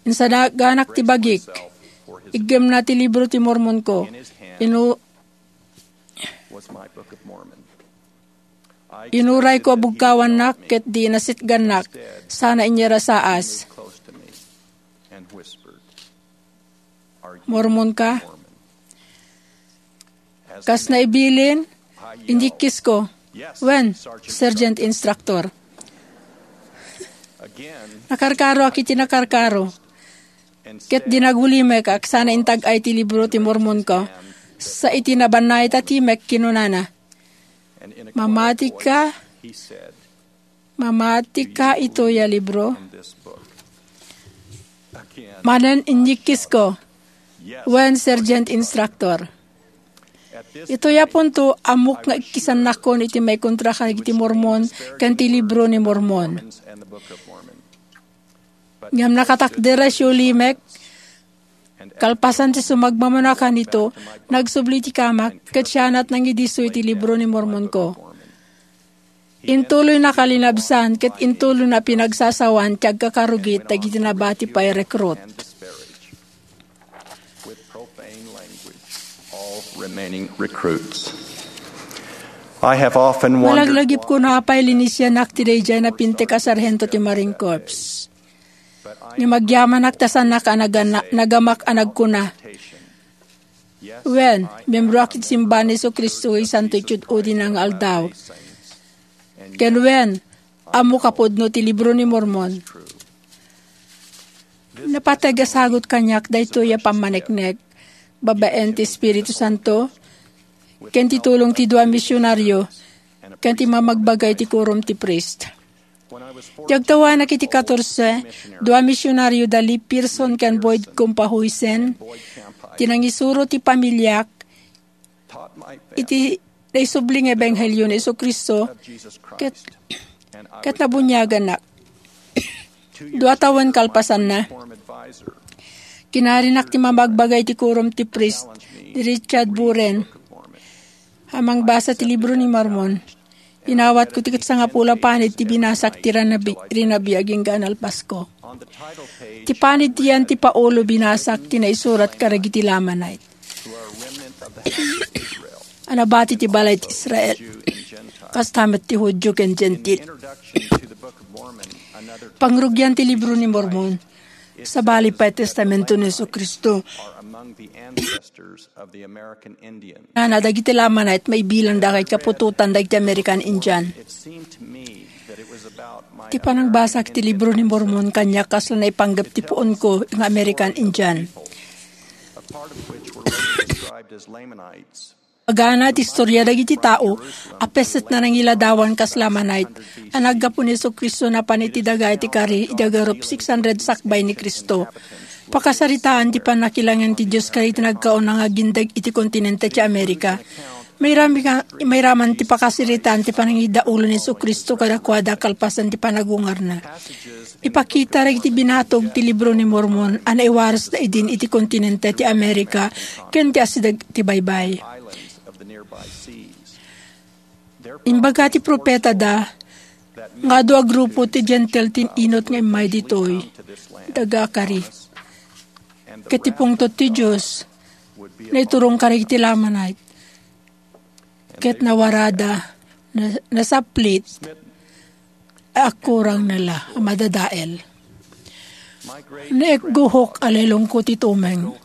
Insaganak ti bagik. Iggemna ti libro ti Mormonko. Inu-, Inurayko a bugkawannak ket di nasitgannak, sana inyarasaas. Mormon ka? Kas naibilin, inyikkisko. Wen, Sergeant Instructor. Nakarkaroak iti nakarkaro. Ket di nagulimek a sana intag-ay ti libro ti Mormonko. Sa iti nabannay ta timek, kinunana, "Mamatika, mamatika itoy a libro?" Manen inyikkisko, "Wen, Sergeant Instructor." Itoy a punto, ammok nga ikkisannakon iti maikontra kadagiti Mormon ken ti libro ni Mormon. Ngem nakatakder a siulimek, kalpasan ti sumagmamano a kanito, nagsubli ti kamak, ket sianat nangidisso iti libro ni Mormonko. Intuloyna kalinabsan ket intuloyna pinagsasawan ti agkakarugit dagiti nabati pay rekrut. With profane language, all remaining recruits. I have often wondered Malaglagipko no apay linisianak ti daydiay a pintek a sarhento ti Marine Corps. Ngem agyamanak ta saannak a nagana-, nagamak a nagkuna, "Wen, miembroak iti simbahan ni Jesu-Cristo iti Santo iti Udina nga aldaw." Ken wen, ammok a pudno ti libro ni Mormon. Napateg a sagut kaniak daytoy a pammaneknek babaen ti Espiritu Santo, ken ti tulong ti dua a misionario, ken ti mamagbaga iti kurom ti priest. Ti agtawanak iti katorse, dua a misionario da Lee Pearson ken Boyd Kumpahuisen, ti nangisuro ti pamiliak iti naisubli nga ebanghelio ni Jesu-Cristo, ket, ket nabuniagannak. Dua tawen kalpasanna, kinarinak ti mamagbaga iti kurom ti priest ni Richard Buren a mangbasa ti libro ni Mormon. Inawatko ti ket sangapulo a panid ti binasak ti rinabi-, rinabi agingga a nalpasko. Ti panid ti yan ti Paolo binasak ti naisurat kadagiti Lamanite a nabati ti balay ti Israel, kasta met ti Judio ken Gentil. Pangrugian ti libro ni Mormon, sabali pay Testamento ni Jesu-Cristo. Nana, dagiti Lamanite, maibilanda ket kaputotan dagiti American Indian. Ti panangbasak ti libro ni Mormon kaniak kasla naipanggep ti puonko nga American Indian. Pagana ti istorya dagiti tao a pesset na nangiladawan kas Lamanite a naggapu ni Jesu-Cristo napan iti daga iti kari idi agarup six hundred sakbay ni Cristo. Pakasaritaan ti pannakilangen ti Dios kadagiti nagkauna nga agindeg iti kontinente ti Amerika. Mairami-, mairaman ti pakasaritaan ti panangidaulo ni Jesu-Cristo kadakuada kalpasan ti panagungarna. Ipakita dagiti binatog ti Libro ni Mormon a naiwarasda idin iti kontinente ti Amerika ken ti asideg ti baybay. Imbaga ti profetada nga adu a grupo ti Gentil ti inut nga immay ditoy daga a kari. Ket ti pungtot ti Dios naiturong kadagiti Lamanite. Ket nawarada, na-, nasaplit, a agkurangna la a madadael. Naikguhok a lelongko ti tumeng,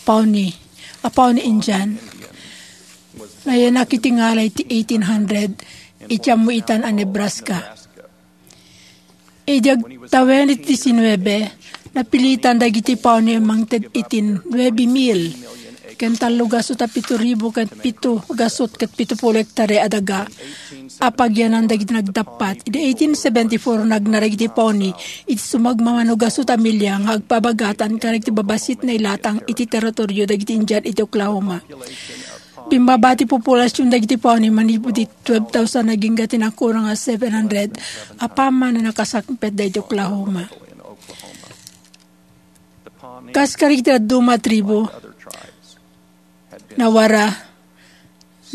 Pawnee, a Pawnee Indian. Nayanak iti ngalay ti eighteen hundred, iti ammoitan a Nebraska. Idi agtawen iti disinnuebe, napilitan dagiti Pawnee a mangted iti nuebe mil ken tallo gasut a pito ribu ket pito gasut ket pito pulo hektare a daga a pagyanan dagiti nagdappat. Idi eighteen seventy-four, nagna dagiti Pawnee iti sumagmamano gasut a milia nga agpabagatan kadagiti babassit nga ilatang iti teritorio dagiti Indian iti Oklahoma. Bimmaba ti populasion dagiti Pawnee manipud iti twelve thousand agingga ti nakurang a seven hundred a pammati a nakasangpet dagiti Oklahoma. Kas kadagiti dadduma a tribu, nawara,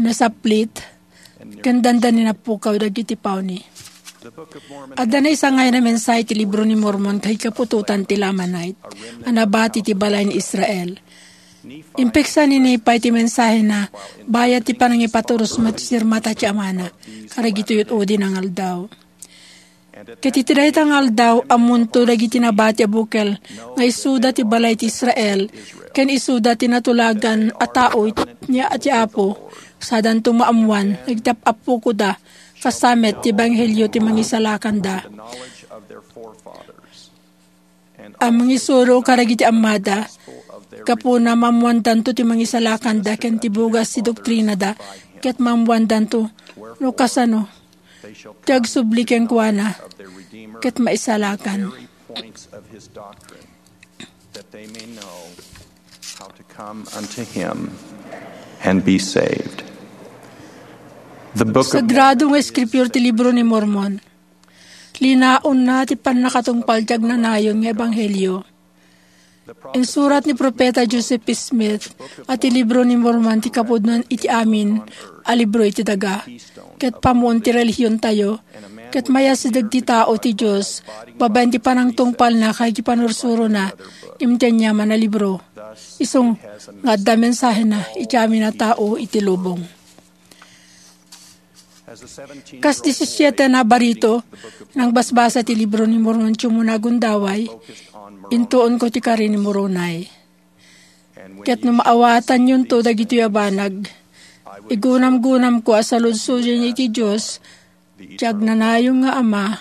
nasaplit, ken dandani napukaw dagiti Pawnee. Adda naisangay a mensahe ti Libro ni Mormon ken kaputotan ti Lamanite a nabati ti balay ni Israel. Impeksa ni Nephi ti mensahena bayat ti panangipaturos met ti sirmata ti amana kadagitoy ud-udi nga aldaw. Ket iti dayta nga aldaw, ammonto dagiti nabati a bukel nga isuda ti balay ti Israel, ken isuda ti natulagan a tao iti, ni, ti Apo, sadanto maammoan dagiti ap-, appokoda, kas sa met ti ebanghelio ti mangisalakanda a mangisuro kadagiti ammada. Gapuna, maammoandanto ti mangisalakanda ken ti bugas ti doktrinada, ket maammoandanto no kasano ti agsubli kenkuana ket maisalakan. That they may know how to come unto him and be saved. The book of Sagrado nga Eskriptura ti Libro ni Mormon. Linaonna ti pannakatungpal ti agnanayon nga ebanghelio. Insurat ni Profeta Joseph Smith a ti Libro ni Mormon ti kapudno iti amin a libro iti daga, ket pammuon ti relihiontayo, ket mayasideg ti tao ti Dios babaen ti panangtungpalna ken ti panursurona ngem ti aniaman a libro. Isu nga adda mensahena iti amin a tao iti lubong. Kas disisiete a barito, nangbasbasa ti Libro ni Mormon ti umuna a gundaway, intuonko ti kari ni Moroni. Ket no maawatanyonto dagitoy a banag, igunamgunamko a saludsodenyo iti Dios ti agnanayon nga Ama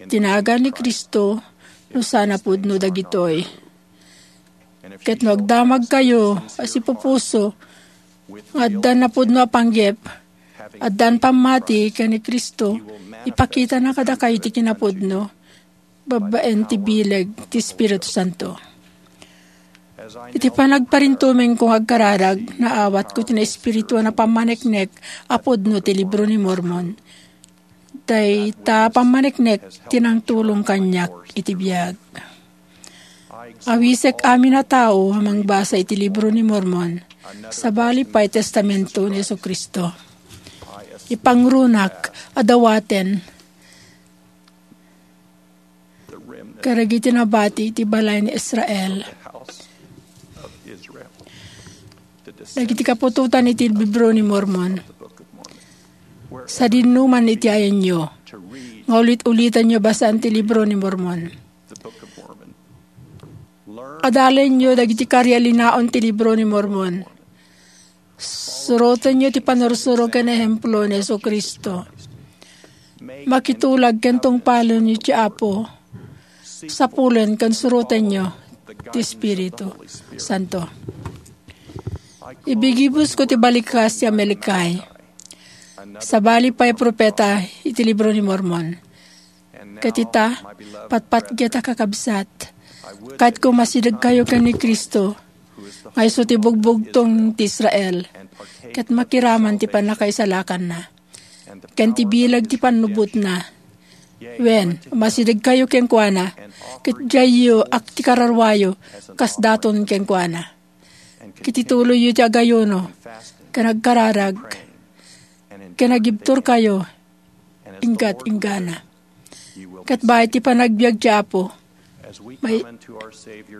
ti nagan ni Cristo no saan a pudno dagitoy. Ket no agdamagkayo a sipupuso nga addan napudno a panggep, addan pammati ken ni Cristo, ipakitana kadakayo ti kinapudno babaen ti bileg ti Espiritu Santo. Iti panagparintumengko nga agkararag, naawatko ti naespirituan a pammaneknek a pudno ti Libro ni Mormon. Dayta pammaneknek ti nangtulong kaniak iti biag. Awisek amin a tao a mangbasa iti Libro ni Mormon, sabali pay Testamento ni Jesu-Cristo. Ipangrunak a dawaten kadagiti nabati iti balay ni Israel dagiti kaputotan iti Libro ni Mormon. Sadinno man iti ayanyo nga ulit-ulitanyo basaan ti Libro ni Mormon. Adalenyo dagiti kari a linaon ti Libro ni Mormon. Surotenyo ti panursuro ken ehemplo ni Jesu-Cristo. Makitulag ken tungpalenyo ti Apo. Sapulen ken surotenyo ti Espiritu Santo. Ibigibusko ti balikas ti Amaleki. Sabali pay profeta iti Libro ni Mormon. Ket ita, patpatget a kakabsat, kayatko masidegkayo ken ni Cristo, nga isu ti bugbugtong ti Israel, ket makiraman ti pannakaisalakanna, ken ti bileg ti pannubotna. Wen, masidegkayo kenkuana, ket diayyo ak ti kararuayo kas daton kenkuana. Ket ituloyyo ti agayuno, ken agkararag, ken agibturkayo, inggat-inggana. Ket bayat ti panagbiag ti Apo, may-,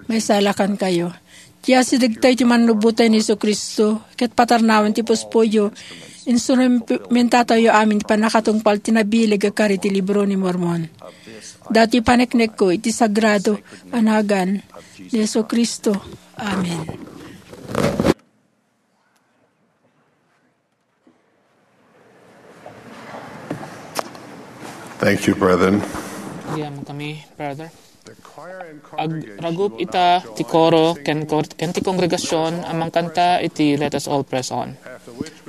maisalakankayo. Ti asidegtayo ti mannubbotayo ni Jesu-Cristo, ket patarnawen ti puspuyo, instrumentatayo amin ti pannakatungpal ti nabileg a kari ti Libro ni Mormon. Datoy paneknekko iti sagrado a nagan ni Jesu-Cristo. Amen. Thank you, brethren. Agyamankami, brother. Agragup ita ti koro ken kor-, ken ti kongregasion a mangkanta iti Let Us All Press On.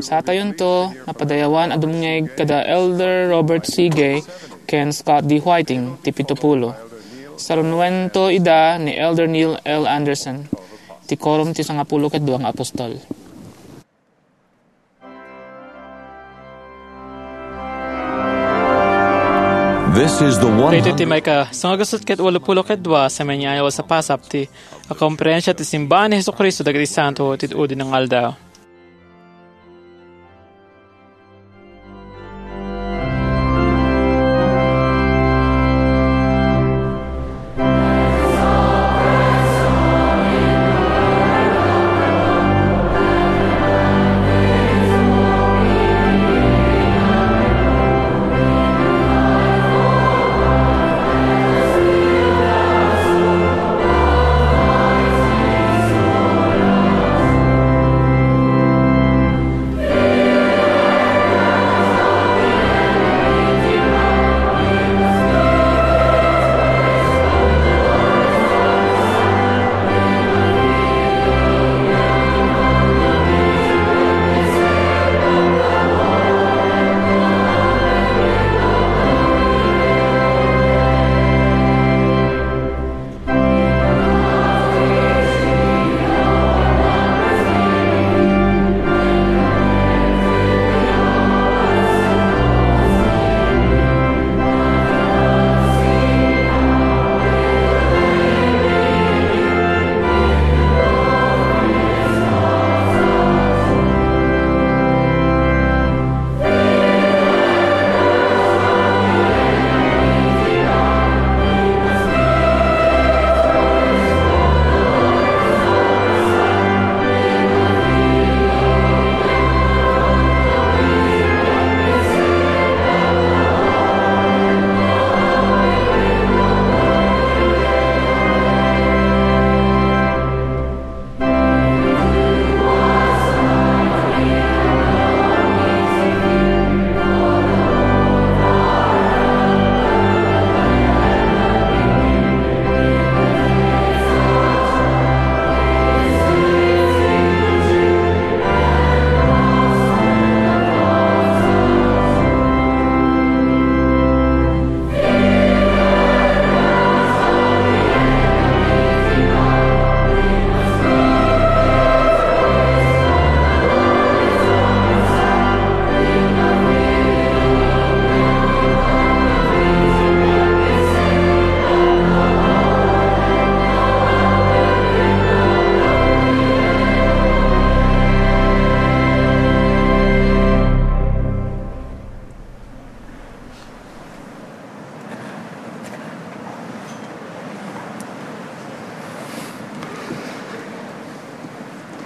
Satayonto, napadayawan a dumngeg kada Elder Robert C. Gay ken Scott D. Whiting ti pito pulo. Sarunuento ida ni Elder Neil L. Andersen ti korum ti sangapulo ket dua nga apostol. This is the one Daytoy ti maika sangagasut ket walupulo ket dua a semeniannual a pasap ti a komperensia ti Simbaan ni Jesu-Cristo dagiti Santo ti Udi nga Aldaw.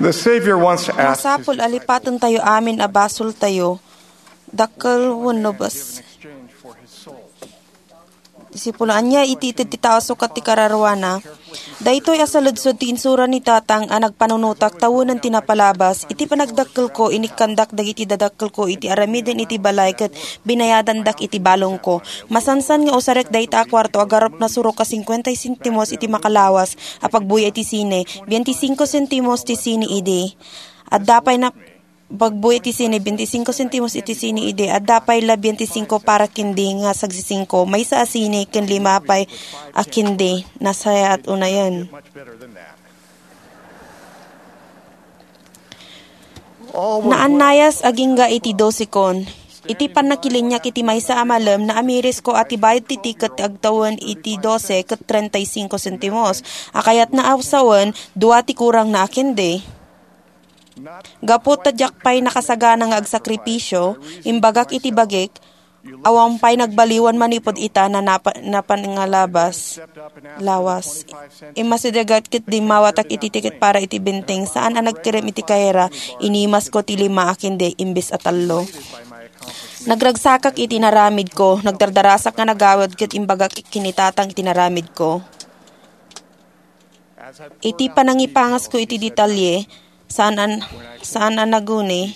The Savior wants to ask Masapul a lipatentayo amin a basoltayo, dakkel wenno bes. Disipulo, ania iti ited ti tao sukat ti kararuana? Daytoy a saledsod ti insura ni Tatang a nagpanunotak tawenan ti napalabas. Iti panagdakkelko, inikkandak dagiti dadakkelko iti aramiden iti balay ket binayadandak iti balongko. Masansan nga usarek dayta a kuarto a garupna surok a cincuenta sentimos iti makalawas a pagbuya iti sine, veinticinco sentimos ti sine idi. Adda pay na pagbuya iti sine, veinticinco sentimos iti sine idi. Adda pay la veinticinco para kendi nga sagsisingko. Maysa a sine ken lima pay a kendi. Nasayaat unayen. Naannayas agingga iti dosekon. Iti pannakiliniak iti maysa a malem, naamirisko a ti bayad ti tiket ti agtawen iti dose ket treinta y cinco sentimos. A kayatna a sawen, dua ti kurangna a kendi. Gapu ta diak pay nakasagana nga agsakripisio, imbagak iti bagik, awan pay nagbaliwan manipud ita na napa-, napan nga labas, lawas. Immasidegak ket dimmawatak iti tiket para iti benteng, saan a nagkerem iti kayra, inimasko ti lima a kendi imbes a tallo. Nagragsakak iti naramidko, nagdardarasak nga nagawid ket imbagak ken ni Tatang iti naramidko. Iti panangipangasko iti detalye, saan an-, saan a naguni.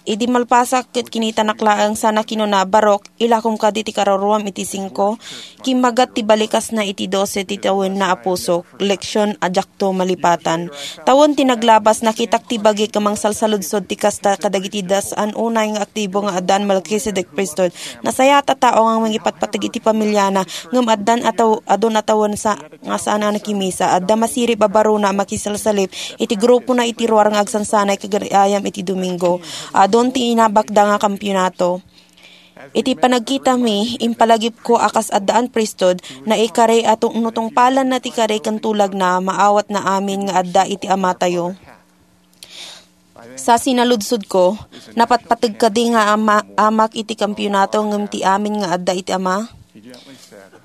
Idi malpasak ket kinitanak laeng sana kinuna, "Barok, ilakom kadi ti kararuam iti singko?" Kimmagat ti balikasna iti dose ti tawenna a pusok. Leksion a diakto malipatan. Tawen ti naglabas, nakitak ti bagik a mangsalsaludsod ti kasta kadagiti das-an unay nga aktibo nga addan Melchizedek Priesthood. Nasayaat a tao nga mangipatpateg iti pamiliana, ngem addan a taw-, adun a tawen sa-, nga saan a nakimisa. Adda masirib a barona a makisalsalip iti grupona iti ruar nga agsansanay kagayam iti Domingo. Adun ti inabakda nga kampionato. Iti panagkitami, impalagipko a kas addaan priesthood, naikari a tungtungpalanna ti kari ken tulagna, maawatna amin nga adda iti Amatayo. Sa sinaludsodko, napatpateg kadi nga ama-, amak iti kampionato ngem ti amin nga adda iti Ama?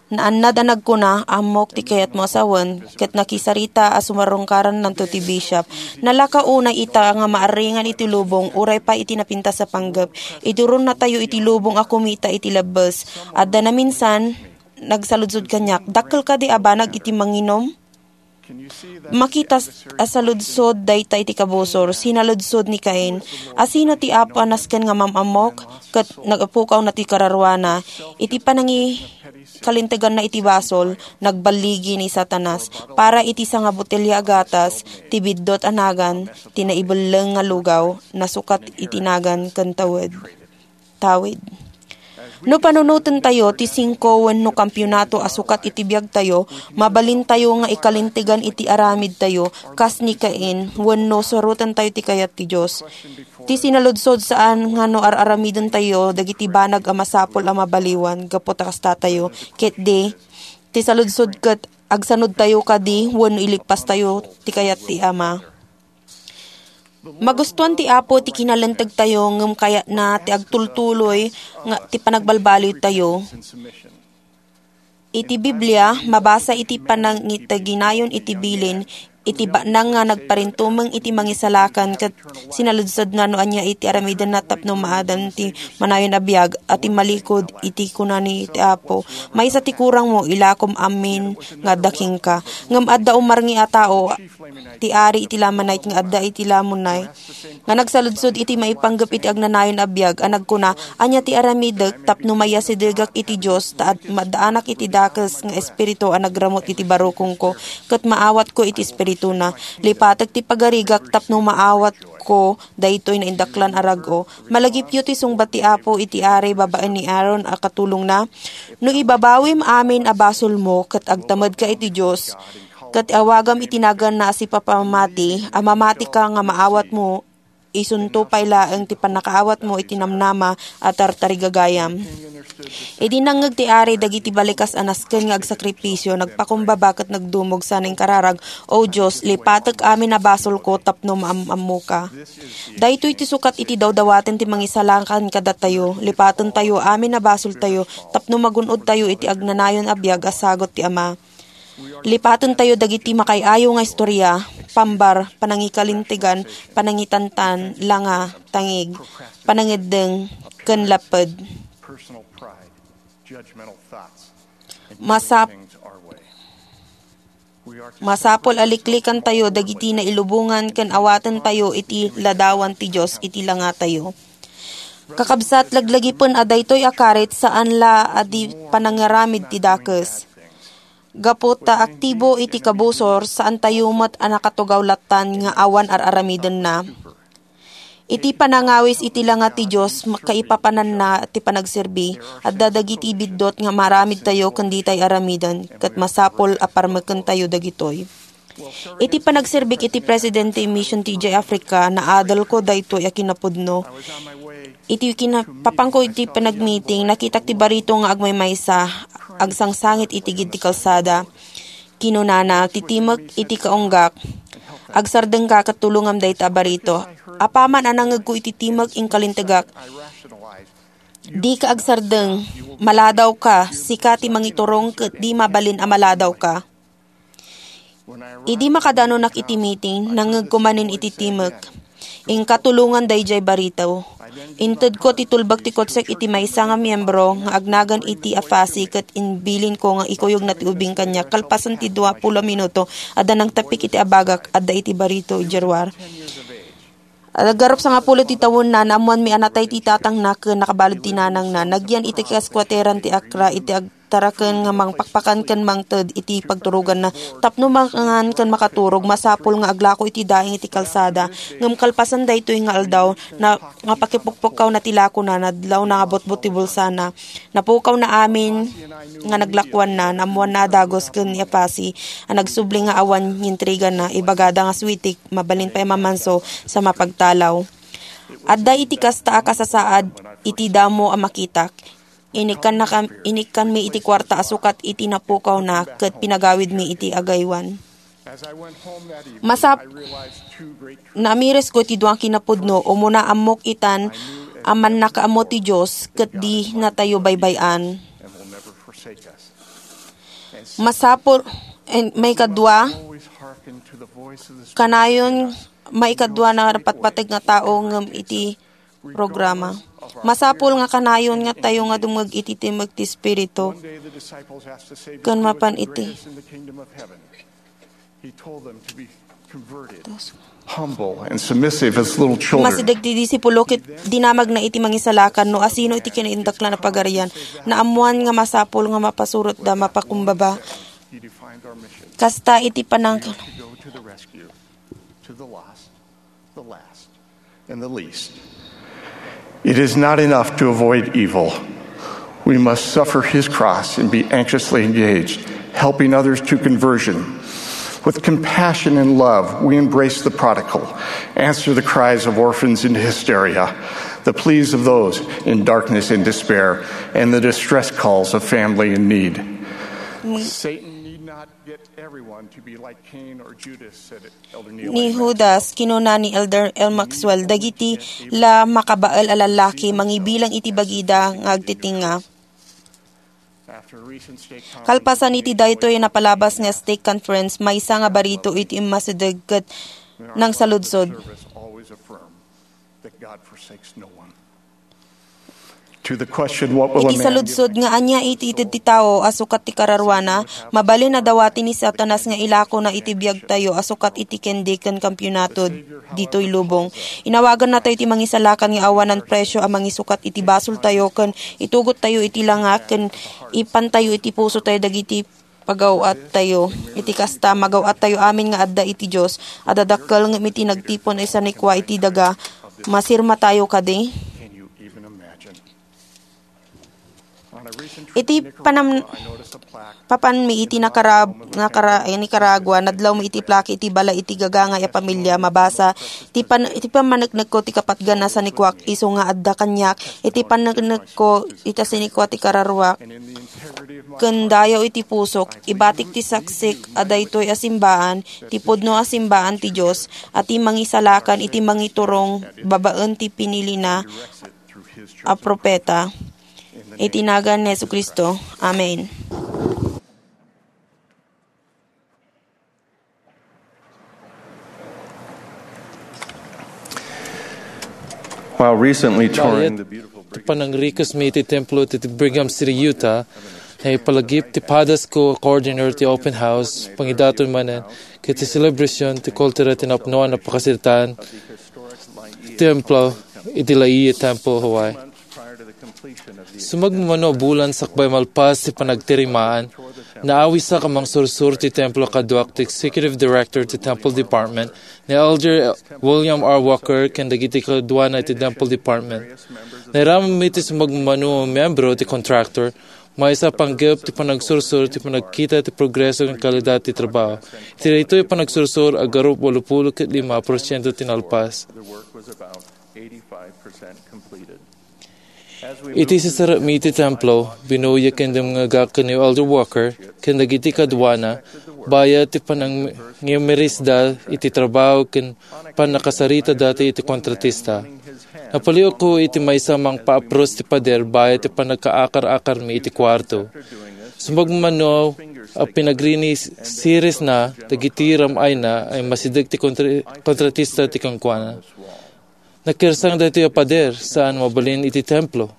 Naannad a nagkuna, "Ammok ti kayatmo a sawen," ket nakisarita a sumarungkarannanto ti bishop. Nalaka unay ita nga maarringan iti lubong uray pay iti napintas a panggep. Iduronnatayo iti lubong a kumita iti lebbes. Adda naminsan, nagsaludsod kaniak, "Dakkel kadi a banag iti manginom?" Makita a saludsod dayta iti kabusor, sinaludsod ni Cain, "Asino ti Apo a nasken nga mam-ammok?" Ket nagpukawna ti kararuana. Iti panangikalinteganna iti basol, nagballigi ni Satanas. Para iti sangabotelya a gatas, ti biddut a nagan, ti naibelleng nga lugaw, nasukat iti nagan ken tawed. Tawid. No panunotentayo ti singko wenno kampionato a sukat iti biagtayo, mabalintayo nga ikalintegan iti aramidtayo kas ni Cain wenno surotentayo ti kayat ti Dios. Ti sinaludsod saan nga no ar-aramidentayo dagiti banag a masapul a mabaliwan gapu ta kastatayo, ket di, ti saludsod ket agsanudtayo kadi wenno iligpastayo ti kayat ti Ama. Magustuan ti Apo ti kinalentegtayo ngem kayatna ti agtultuloy nga ti panagbalbaliwtayo. Iti Biblia, mabasa iti panangitaginayon iti bilin, iti banag nga nagparintumeng iti mangisalakan ket sinaludsodna no ania iti aramidenna tapno maadan ti manayon a biag a timmalikod iti kuna ni ti Apo, "Maysa ti kurangmo, ilakom amin nga adda kenka." Ngem adda umarngi a tao ti ari iti Lamanite nga adda iti Lamonai, nga nagsaludsod iti maipanggep iti agnanayon a biag a nagkuna, "Ania ti aramidek tapno mayasidegak iti Dios ta ad-, maddaanak iti dakes nga espiritu a nagramut iti barukongko ket maawatko iti espirituna? Lipatek ti pagarigak tapno maawatko daytoy naindaklan a rag-o." Malagipyo ti sungbat ti Apo iti ari babaen ni Aaron a katulongna, "No ibabawim amin a basolmo ket agtamedka iti Dios, ket awagam iti naganna a sipapamati, a mamatika nga maawatmo, isunto pay laeng ti pannakaawatmo iti namnama a tartarigagayam." Idi nangngeg ti ari dagiti balikas a nasken nga agsakripisio, nagpakumbaba ket nagdumog sana inkararag, "O Dios, lipatek amin a basolko tapno maam-ammoka." Daytoy ti sukat iti dawdawaten ti mangisalakan kadatayo. Lipatentayo amin a basoltayo tapno magun-odtayo iti agnanayon a biag a sagut ti Ama. Lipatentayo dagiti makaay-ayo nga istoria, pambar, panangikalintegan, panangitantan, langa, tangig, panangeddeng, ken lapped. Masap-, masapul a liklikantayo dagiti nailubongan ken awatentayo iti ladawan ti Dios iti langatayo. Kakabsat, laglagipen a daytoy a karit saan la a di panangaramid ti dakes. Gapu ta aktibo iti kabusor, saantayo met a nakatugaw lattan nga awan ar-aramidenna. Iti panangawis iti langa ti Dios, kaipapananna ti panagserbi, adda dagiti biddut nga maaramidtayo ken ditay aramiden, ket masapul a parmekentayo dagitoy. Iti panagserbik iti presidente ti Mission ti idiay Africa, naadelko daytoy a kinapudno. Iti kinapapanko iti panagmiting, nakitak ti barito nga agmaymaysa, agsangsangit iti gid ti kalsada. Kinunana, "Titimek iti kaunggak. Agsardengka ket tulongam dayta a barito." Apaman a nangngegko iti timek, inkalintegak, "Dika agsardeng. Maladawka. Sika ti mangiturong ket di mabalin a maladawka." Idi makadanonak iti miting, nangngegko manen iti timek. Inka tulongan daydiay barito. Intedko ti tulbek ti kutsek iti maysa nga miembro nga agnagan iti apasi ket imbilinko nga ikuyogna ti ubing kaniak. Kalpasan ti dua pulo a minuto, adda nangtapik iti abagak, adda iti barito idiay ruar. Aggarup sangapulo ti tawenna, naammoanmi a natay ti tatangna ken nakabalud ti nanangna. Nagyan iti kaskuateran ti Accra iti agtaraken nga mangpakpakan ken mangted iti pagturoganna. Tapno mangan ken makaturog, masapul nga aglako iti daing iti kalsada. Ngem kalpasan daytoy nga aldaw, na, nga pakipukpukkawna ti lakona, nadlawna nga butbut ti bulsana. Napukawna amin nga naglakuanna, naammoanna a dagus ken ni Apasi a nagsubli nga awan intrigana, ibagada nga sweetie, mabalin pay a mamanso sa mapagtalaw. Adda iti kasta a kasasaad iti damo a makitak. Inikkannakam-, inikkanmi iti kuarta a sukat iti napukawna ket pinagawidmi iti agaywan. Masap-, naamires ko iti dua kinapudno, umuna ammok itan a mannakaammo ti Dios ket di natayo baybay-an. Masapul, en, maikadua, kanayon, maikadua na patpateg nga tao ngem iti programa. Masapul nga kanayon nga tayo nga dumngeg iti timmek ti Espiritu. Ken mapan iti He told them to be converted, humble and submissive as little children. Masideg ti disipulo ket dinamagna iti mangisalakan no asino iti kinaindaklan a pagarian. Naammoan nga masapul nga mapasurotda, mapakumbaba. Kasta iti panang- To go to the rescue, to the lost, the last, and the least. It is not enough to avoid evil. We must suffer his cross and be anxiously engaged, helping others to conversion. With compassion and love, we embrace the prodigal, answer the cries of orphans in hysteria, the pleas of those in darkness and despair, and the distress calls of family in need. Satan need not get everyone to be like Cain or Judas, said Elder Neal A. Maxwell. Ni Judas, kinuna ni Elder L. Maxwell, dagiti la makabael a lallaki mangibilang iti bagida nga agtitinga. Kalpasan iti daytoy a napalabas nga stake conference, maysa nga barito iti immasideg ket nangsaludsod. That God forsakes no one. To the question, what will a man give? Iti saludsod nga ania iti ited ti tao a sukat ti kararuana, mabalin a dawati ni Satanas nga ilakona iti biagtayo a sukat iti kendi ken kampiyonato ditoy lubong. Inawagannatayo ti mangisalakan nga awanan presio a mangisukat iti basoltayo ken itugottayo iti langa ken ipantayo iti pusotayo dagiti pagaw-attayo. Iti kasta, magaw-attayo amin nga adda iti Dios a dadakkel ngem iti nagtipon a sanikua iti daga, masirmatayo kadi? Iti panam-, papanmi iti Nakara-, Nakara-, Nicaragua, nadlawmi iti plaka iti balay iti gagangay a pamilia, mabasa, ti pan-, iti pammaneknekko ti kapatgan a sanikuak, isu nga adda kaniak, iti panneknekko ita sanikua ti kararuak, ken dayaw iti pusok, ibatik ti saksik a daytoy a simbaan, ti pudno a simbaan ti Dios, a ti mangisalakan iti mangiturong babaen ti pinilina a propeta. Iti nagan ni Jesu-Cristo. Amen. While recently touring the beautiful Brigham City, panangrikusmi iti templo ti Brigham City, Utah, naipalagip ti padasko a coordinator ti open house, pangidaton manen, ket ti selebrasion ti kultura ti napnoan a pakasaritaan ti templo iti La Jolla Temple, Hawaii. Sumagmamano a bulan sakbay malpas ti panagtirimaan, naawisak a mangsursur ti templo kaduak ti executive director ti temple department, ni Elder William R. Walker, ken dagiti kaduana iti temple department. Nairamidmi ti sumagmamano a miyembro ti contractor, maysa a panggep ti panagsursur ti panagkita ti progreso ken kalidad ti trabaho. Iti daytoy a panagsursur, agarup walupulo ket lima porsiento ti nalpas. Iti sisarrekmi iti templo, binuyek ken dumngegak ken ni Elder Walker ken dagiti kaduana, bayat ti panangiumirisda iti trabaho ken pannakasaritada iti kontratista. Napaliwko iti maysa a mangpaapros ti pader bayat ti pannakaakar-akarmi iti kuarto. Sumagmamano a pinagriniseresna dagiti ram-ayna a immasideg ti kontra-, kontratista ti kenkuana. Nakirsang daytoy a pader, saan mabalin iti templo.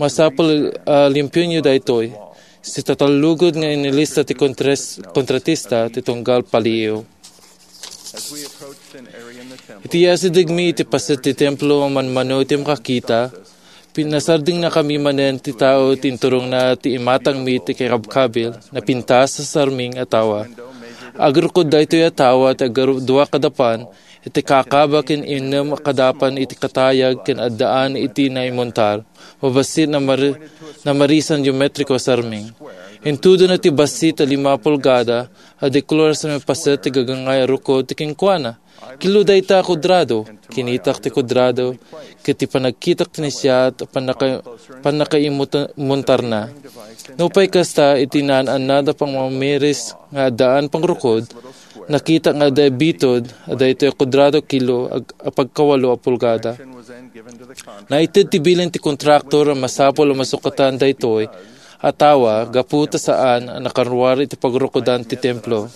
Masapul a limpionyo daytoy. Sitatallugod nga inilista ti kontres-, kontratista ti tunggal paliiw. Iti asidegmi iti paset ti templo a manmano iti makakita, pinasardingnakami manen ti tao ti inturongna ti imatangmi ti kakabkabil, napintas a sarming a tawa. Agrukod daytoy a tawa ti agdua kadapan iti kakaba ken innem a kadapan iti katayag ken addaan iti naimuntar, mabassit na mari-, na marisan geometriko a sarming. Intudona ti bassit a lima pulgada a dekor a sarming paset ti gagangay a rukod ti kenkuana. Kilo dayta a kuadrado. Kinitak ti kuadrado ket ti panagkitak ti naisiat a pannaka-, pannakaimuta-, muntarna. Nupay kasta, iti naan-annad a pangmamiris nga addaan pangrukod, nakita nga adda bitud a daytoy a kuadrado kilo ag-, a pagkawalo a pulgada. Naited ti bilin ti kontraktor a masapul a masukatan daytoy a tawa gapu ta saan a nakaruar iti pagrukodan ti templo.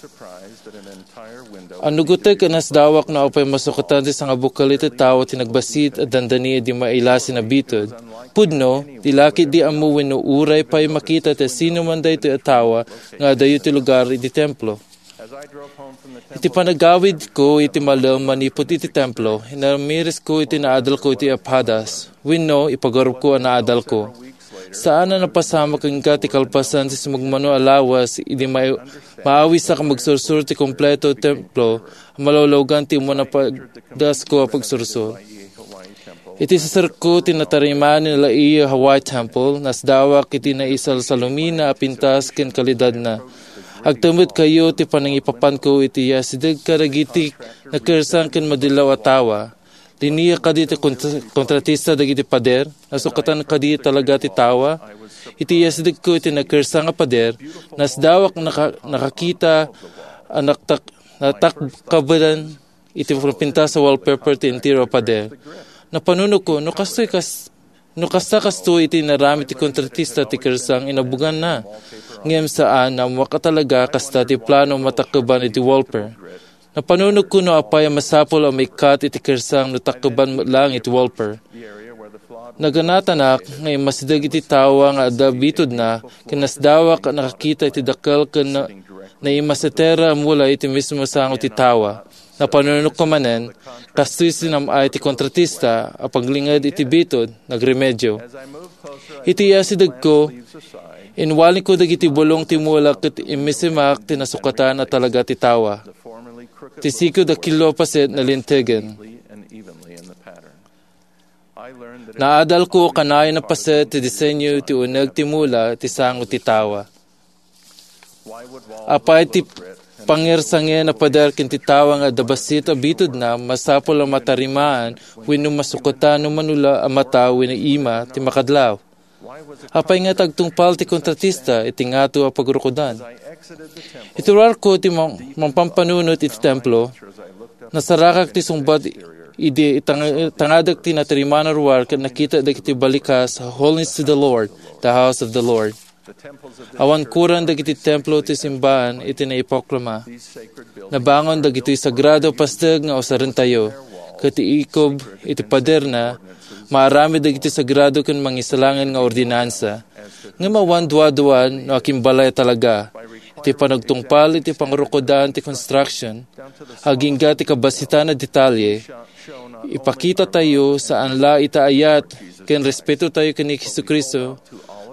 Anugotek a nasdawak no apay masukatan ti sangabukel iti tawa ti nagbassit a dandani idi mailasin a bitud. Pudno, di la ketdi ammo wenno uray pay makita ti sinoman daytoy a tawa nga adayo ti lugar iti templo. Iti panagawidko iti malem manipud iti templo, inamirisko iti naadalko iti aphadas, wenno ipagarupko a naadalko. Saan a napasamak kenka ti kalpasan ti sumagmamano a lawas idi ma-, maawisak a magsursuro ti kompleto ti templo a malawlawgan ti umuna padasko a pagsursuro. Iti saserko ti natarimaan ni Laie Hawaii Temple, nasdawak iti naisalsalumina a pintas ken kalidadna. Agtamekkayo ti panangipapanko iti asideg kadagiti nakersang ken madillaw a tawa. Linia kadi ti kont-, kontratista dagiti pader? Nasukatan kadi talaga ti tawa? Iti asidegko iti nakersang a pader, nasdawak naka-, nakakita a naktak-, natakkabelan iti pintas a wallpaper ti entero a pader. Napanunotko, no kastoy kas-, no kasta kastoy iti inaramid ti kontratista ti kersang, inabuganna. Ngem saan, ammoak a talaga kasta ti plano a matakkeban iti wallpaper. Napanunotko no apay a masapul a maikkat iti kersang no takkeban met laeng iti wallpaper. Naganatanak nga immasideg iti tawa nga adda bitudna, ken nasdawak a nakakita iti dakkel ken na-, naimasetera a mula iti mismo sango ti tawa. Napanunotko manen, kastoy sinam-ay ti kontratista a paglinged iti bitud, nagremedio. Iti asidegko, inwalinko dagiti bulong ti mula ket immisimak ti nasukatan a talaga ti tawa. Ti sikod a kilo a paset nalintegen. Naadalko kanayon a paset ti disenyo ti uneg ti mula ti sango ti tawa. Apay ti pangersangen a pader ken ti tawa nga adda bassit a bitudna masapul a matarimaan wenno masukatan no manula a mata wenno ima ti makadlaw? Apay nga agtungpal ti kontratista iti ngato a pagrukodan? Iti ruarko ti mam-, mampampanunot iti templo, nasarakak ti sungbat idi itang-, tangadek ti natarimaan a ruar ket nakitak dagiti balikas, "Holiness to the Lord, the house of the Lord." Awan kuran dagiti templo ti simbaan iti naiproklama. Nabangon dagitoy sagrado a pasteg nga usarentayo, ket ti ikub iti paderna, maaramid dagiti sagrado ken mangisalaen nga ordinansa. Ngem awan duaduan no akimbalay talaga. Iti panagtungpal iti pangrukodan ti construction, agingga ti kabassitan a detalye, ipakitatayo saan la iti ayat ken respetotayo ken ni Jesu-Cristo,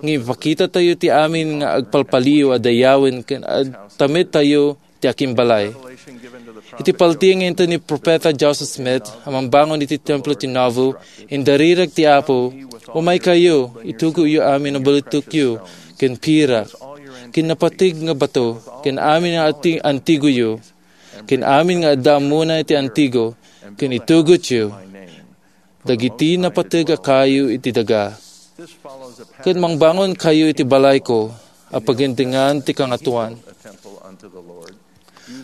ngem ipakitatayo ti amin nga agpalpaliw a dayawen ken agtamedtayo ti akimbalay. Iti paltiing inton ni Profeta Joseph Smith a mambangon iti Templo ti Nauvoo, indarirag ti Apo, "Umaykayo, itugoyo amin a balitekyo ken pirak, ken napateg nga bato, ken amin nga ati-, antigoyo, ken amin nga adda ammona iti antigo, ken itugotyo dagiti napateg a kayo iti daga, ket mangbangonkayo iti balayko a pagendengan ti Kangatoan."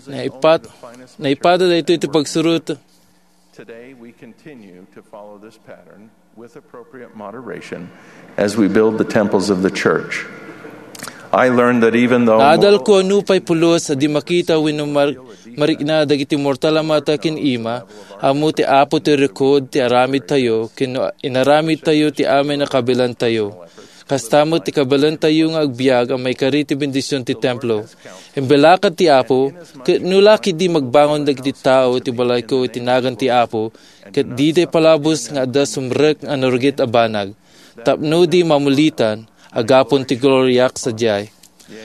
Naipat-, naipada daytoy ti pagsurot. Today, we continue to follow this pattern with appropriate moderation as we build the temples of the church. I learned that even though Naadal ko a nupay pulos a di makita wenno mar-, marikna dagiti mortal a mata ken ima, ammo ti Apo ti rikod ti aramidtayo, ken no inaramidtayo ti amin a kabilantayo. Kasta met ti kabalentayo nga agbiag a maikari ti bendision ti templo. Imbalakad ti Apo, ket no la ketdi magbangon dagiti tao iti balayko iti nagan ti Apo, ket diday palabos nga adda sumrek a narugit a banag, tapno di mamulitan, agapon ti gloriak sadiay.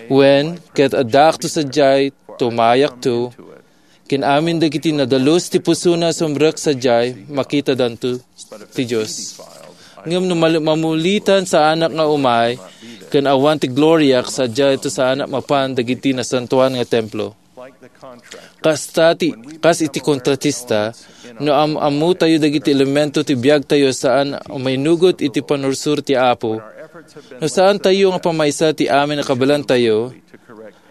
Wen, ket addaakto sadiay, tumayakto, ken amin dagiti nadalus ti pusona sumrek sadiay, makitadanto ti Dios. Ngem no mal-, mamulitan saanak nga umay, ken awan ti gloriak sadiay, ta saanak mapan dagiti nasantoan nga templo. Kasta ti, kas iti kontratista, no am-ammotayo dagiti elemento ti biagtayo saan a mainugot iti panursuro ti Apo, no saantayo nga pamaysa ti amin a kabalantayo,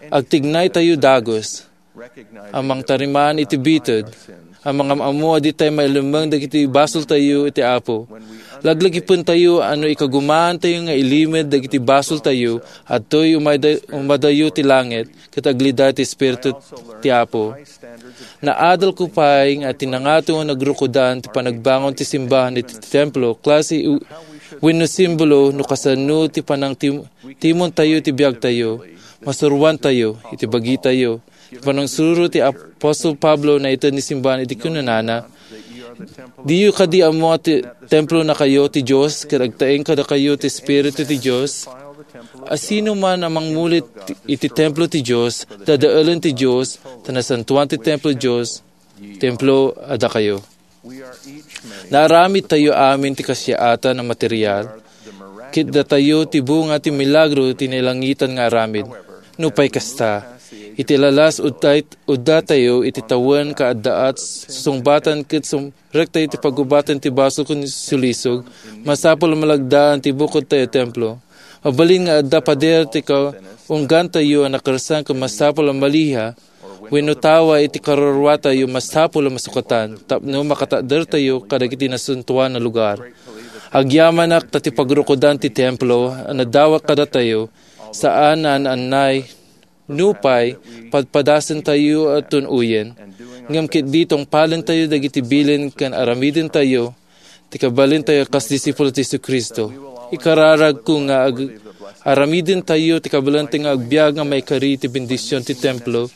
agtignaytayo dagus, a mangtarimaan iti bited, a mangam-ammo a ditay mailemmeng dagiti basoltayo iti Apo. Laglagipentayo a no ikagumaantayo nga ilimed dagiti basoltayo, adtoy umayda-, umadayo ti langit, ket aglida ti Espiritu ti Apo. Naadalko pay nga ti nangato nga nagrukodan ti panagbangon ti simbahan iti templo, klase u-, wenno simbolo no kasano ti panangtim-, timontayo ti biagtayo, masuroantayo iti bagitayo. Ti panangsurot ti apostol Pablo naited ni simbahan iti kinunana, "Diyo kadi ammo a ti templo nakayo ti Dios, ket agtaeng kadakayo ti Espiritu ti Dios? Asino man a mangmulit iti templo ti Dios, dadaelen ti Dios, ta nasantoan ti templo ti Dios, templo a dakayo." Naaramidtayo amin ti kasiaatan a material, ket datayo ti bunga ti milagro ti nailangitan nga aramid. Nupay kasta, iti lalas udday-, uddatayo iti tawen kaaddaat susungbatan ket sumrektayo iti pagubatan ti basol ken sulisog, masapul a malagdaan ti bukodtayo a templo. Mabalin nga adda pader ti kaunggantayo a nakersan ken masapul a maliha, wenno tawa iti karuruatayo, masapul a masukatan tapno makatadertayo kadagiti nasantoan a lugar. Agyamanak ta ti pagrukodan ti templo a nadawat kadatayo, saan a naannay, nupay padpadasentayo a tun-oyen, ngem ketdi tungpalentayo dagiti bilin ken aramidentayo ti kabalentayo kas disipulo ti Jesu-Cristo. Ikararagko nga ag-, aramidentayo ti kabalentayo nga agbiag nga maikari ti bendision ti templo,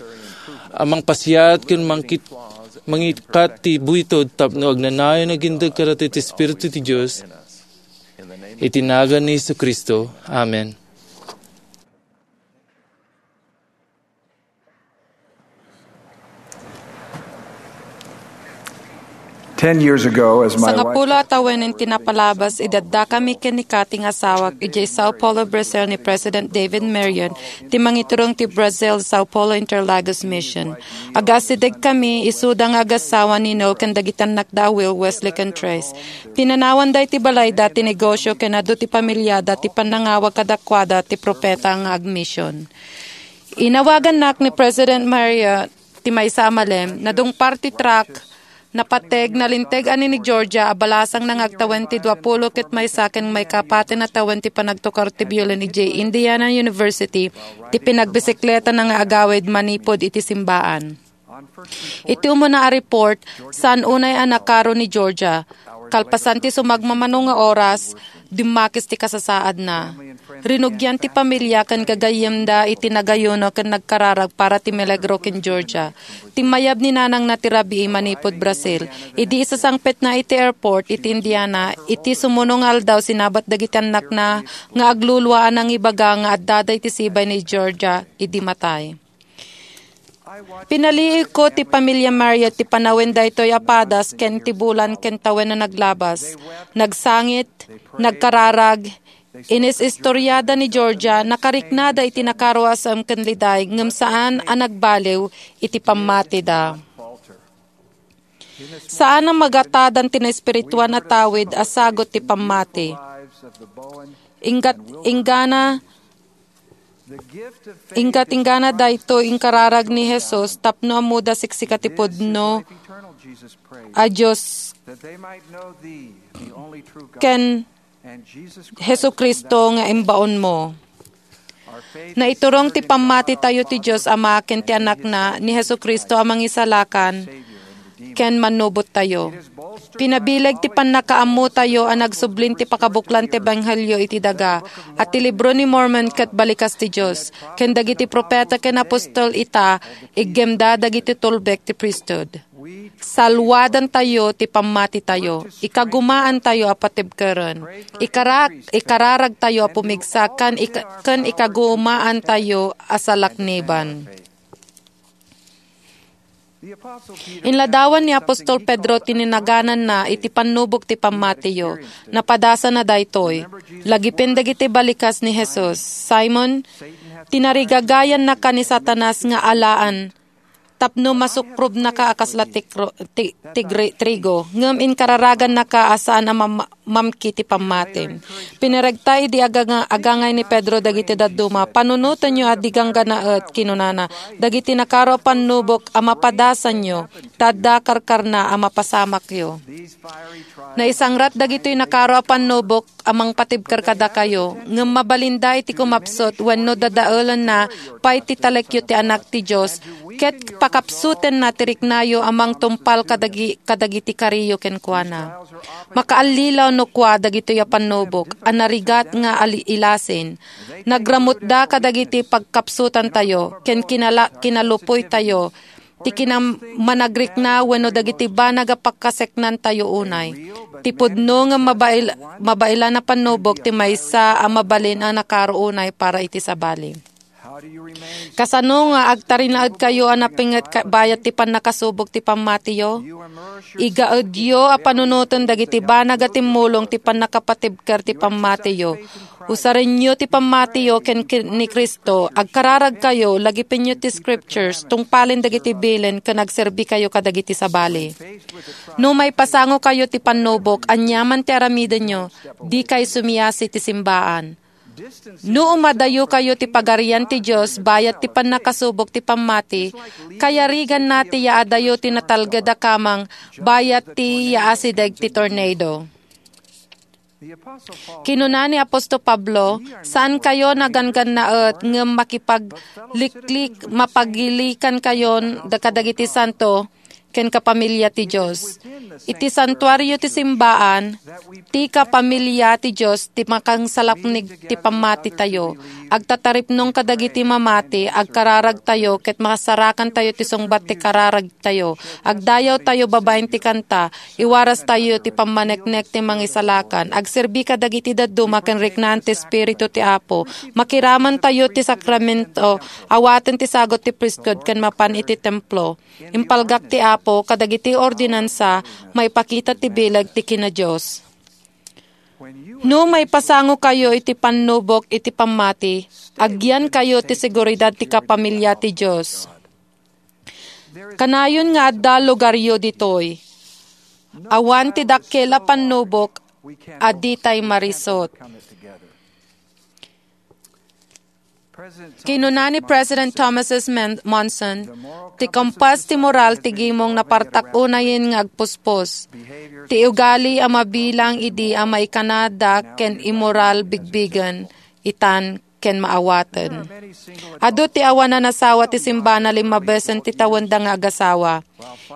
a mangpasiat ken mangkit-, mangikkat ti buitud tapno agnanayon a agindeg kadatayo ti Espiritu ti Dios. Iti nagan ni Jesu-Cristo. Amen. Ten years ago, as my wife Sangapulo a tawen ti napalabas, idi addakami ken ni Kathy nga asawak idiay Sao Paulo, Brazil, ni President David Marion, ti mangiturong ti Brazil, Sao Paulo Interlagos Mission. Agaasidegkami, isuda nga agassawa ni Noel ken dagiti annakda a Will, Wesley, ken Trace. Pinanawanda iti balayda ti negosio ken adu ti pamiliada ti pannangawag kadakuada ti propeta nga agmission. Inawagannak ni President Maria ti maysa a malem, nadungpar ti truck, napateg, nalinteg a ni Georgia a balasangna nga agtawen ti duapulo ket maysa ken maikapatna a tawen ti panagtukar ti biolin idiay Indiana University, ti pinagbisikletana nga agawid manipud iti simbaan. Iti umuna a report, saan unay a nakaro ni Georgia. Kalpasan ti sumagmamano nga oras, dimmakis ti kasasaadna. Rinugian ti pamilia ken gagayyemda iti nagayuno ken nagkararag para ti milagro ken Georgia. Timmayab ni nanangna ti rabii manipud Brazil. Idi isasangpetna iti airport iti Indiana, iti sumuno nga aldaw sinabat dagiti annakna nga aglulua a nangibaga nga addada iti sibay ni Georgia idi matay. Pinaliiwko ti pamilia Maria ti panawen daytoy a padas ken ti bulan ken tawen a naglabas. Nagsangit, nagkararag, inis-istoriada ni Georgia, nakariknada iti nakaro a saem ken liday, ngem saan a nagbaliw iti pammatida. Saan a magatadan ti naespirituan a tawid a sagut ti pammati. Inggat, inggana Inggat-inggana daytoy inkararag ni Jesus tapno ammoda siksika ti pudno a Dios ken Jesu-Cristo nga imbaonmo. Naiturong ti pammatitayo ti Dios Ama ken ti Anakna ni Jesu-Cristo a Mangisalakan ken Mannubottayo. Pinabileg ti pannakaammotayo a nagsublin ti pakabuklan ti ebanghelio iti daga, a ti Libro ni Mormon ket balikas ti Dios, ken dagiti profeta ken apostol ita, iggemda dagiti tulbek ti priesthood. Salwadantayo ti pammatitayo, ikagumaantayo a patibkeren, ikarak-, ikararagtayo a pumigsa, ken ik-, ken ikagumaantayo a salakniban. Inladawan ni apostol Pedro ti ninagananna iti pannubok ti pammatiyo. Napadasana daytoy. Lagipen dagiti balikas ni Jesus, Simon, tinarigagayannaka ni Satanas nga alaan tapno masukrobnaka a kasla tikro-, ti-, tigri-, trigo, ngem inkararagannaka a saan a mam-, mamki ti pammati. Pinaregta idi aganga-, agangay ni Pedro dagiti dadduma, "Panunotenyo a di gangganaet," kinunana, "dagiti nakaro a pannubok a mapadasanyo, ta adda karkarna a mapasamakyo." Naisangrat dagitoy nakaro a pannubok a mangpatibker kadakayo, ngem mabalinda iti kumapsut wenno dadaelenna pay ti talekyo ti Anak ti Dios, ket pakapsutenna ti riknayo a mangtungpal kadagi-, kadagiti kariyo kenkuana. Makaallilaw no kua dagitoy a pannubok a narigat nga ali-, ilasin. Nagramutda kadagiti pagkapsutantayo ken kinala-, kinalupoytayo ti kinam-, managrikna wenno dagiti banag a pakaseknantayo unay. Ti pudno nga mabail-, mabailan a pannubok ti maysa a mabalin a nakaro unay para iti sabali. Kasano nga agtarinaedkayo a napinget ka-, bayat ti pannakasubok ti pammatiyo? Igaedyo a panunoten dagiti banag a timmulong ti pannakapatibker ti pammatiyo. Usarenyo ti pammatiyo ken, ken ni Cristo. Agkararagkayo, lagipenyo ti scriptures, tungpalen dagiti bilin ken agserbikayo kadagiti sabali. No maipasangokayo ti pannubok, aniaman ti aramidenyo, dikay sumiasi ti simbaan. No umadayokayo ti Pagarian ti Dios bayat ti pannakasubok ti pammati, kayariganna ti yaadayo ti natalged a kamang bayat ti yaasideg ti tornado. Kinuna ni Aposto Pablo, "Saankayo naganggannaet ngem makipagliklik, mapagilikankayon da-, kadagiti santo ken kapamilya ti Dios." Iti santuario ti simbaan, ti kapamilya ti Dios ti makangsalaknig ti pammatitayo. Agtataripnong kadagiti mamati, agkararagtayo, ket masarakantayo ti sungbat ti kararag tayo. Agdayawtayo babaen ti kanta, iwarastayo ti pammaneknek ti mangisalakan, agserbi kadagiti dadduma ken riknaan ti Espiritu ti Apo, makiramantayo ti sakramento, awaten ti sagut ti priesthood ken mapan iti templo. Impalgak ti Apo kadagiti ordinansa, maipakita ti bileg ti kina-Dios. No maipasangokayo iti pannubok iti pammati, agyankayo ti seguridad ti kapamilya ti Dios. Kanayon nga adda lugaryo ditoy. Awan ti dakkel a pannubok a ditay marisut. Kinuna ni President Thomas S. Men-, Monson, "Ti kumpas ti moral ti gimong napartak unayen nga agpuspos. Ti ugali a mabilang idi a maikanada ken immoral bigbigen, itan ken maawaten." Adu ti awan a nasawa ti simbana lima besen ti tawenda nga agasawa.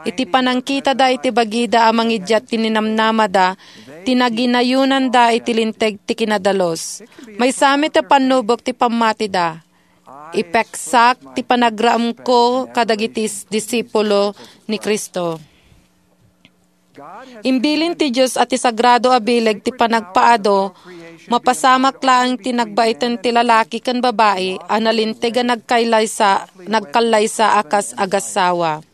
Iti panangkitada iti bagida a mangidiat ti ninamnamada, ti naginayonanda iti linteg ti kinadalus. Maysa met a pannubok ti pammatida. Ipeksak ti panagraemko kadagiti s-, disipulo ni Cristo. Imbilin ti Dios a ti sagrado a bileg ti panagpaadu, mapasamak laeng ti nagbaiten ti lalaki ken babai a nalinteg a nagkaylaysa-, nagkallaysa a kas agassawa.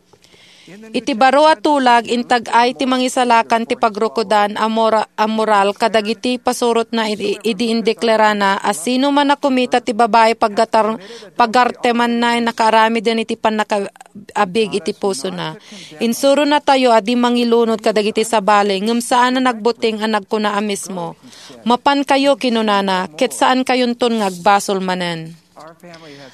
Iti baro a tulag, intag-ay ti mangisalakan ti pagrukodan a mora-, a moral kadagiti pasurotna idi, idi indeklarana a sino man a kumita ti babai paggatar-, pagartemanna a nakaaramiden iti pannaka-, abig iti pusona. Insuronatayo a di mangilunod kadagiti sabali, ngem saan a nagbuting a nagkuna a mismo, "Mapankayo," kinunana, ket saankayonton nga agbasol manen.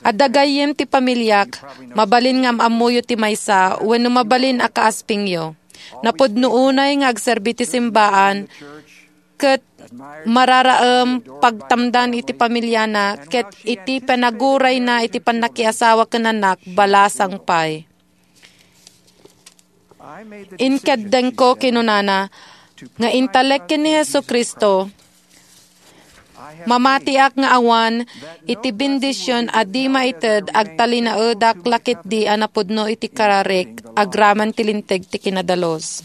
Adda gayyem ti pamiliak, mabalin nga am-ammoyo ti maysa wenno mabalin a kaaspingyo. Napudno unay nga agserbi ti simbaan ket mararaem pagtamdan iti pamiliana ket iti panagurayna iti pannakiasawa ken annak, balasang pay. Inkeddengko, kinunana, nga intalek ken ni Jesu-Cristo, mamatiak nga awan iti bendision a di maited agtalinaedak la ketdi a napudno iti kararik agraman ti Linteg ti Kinadalus.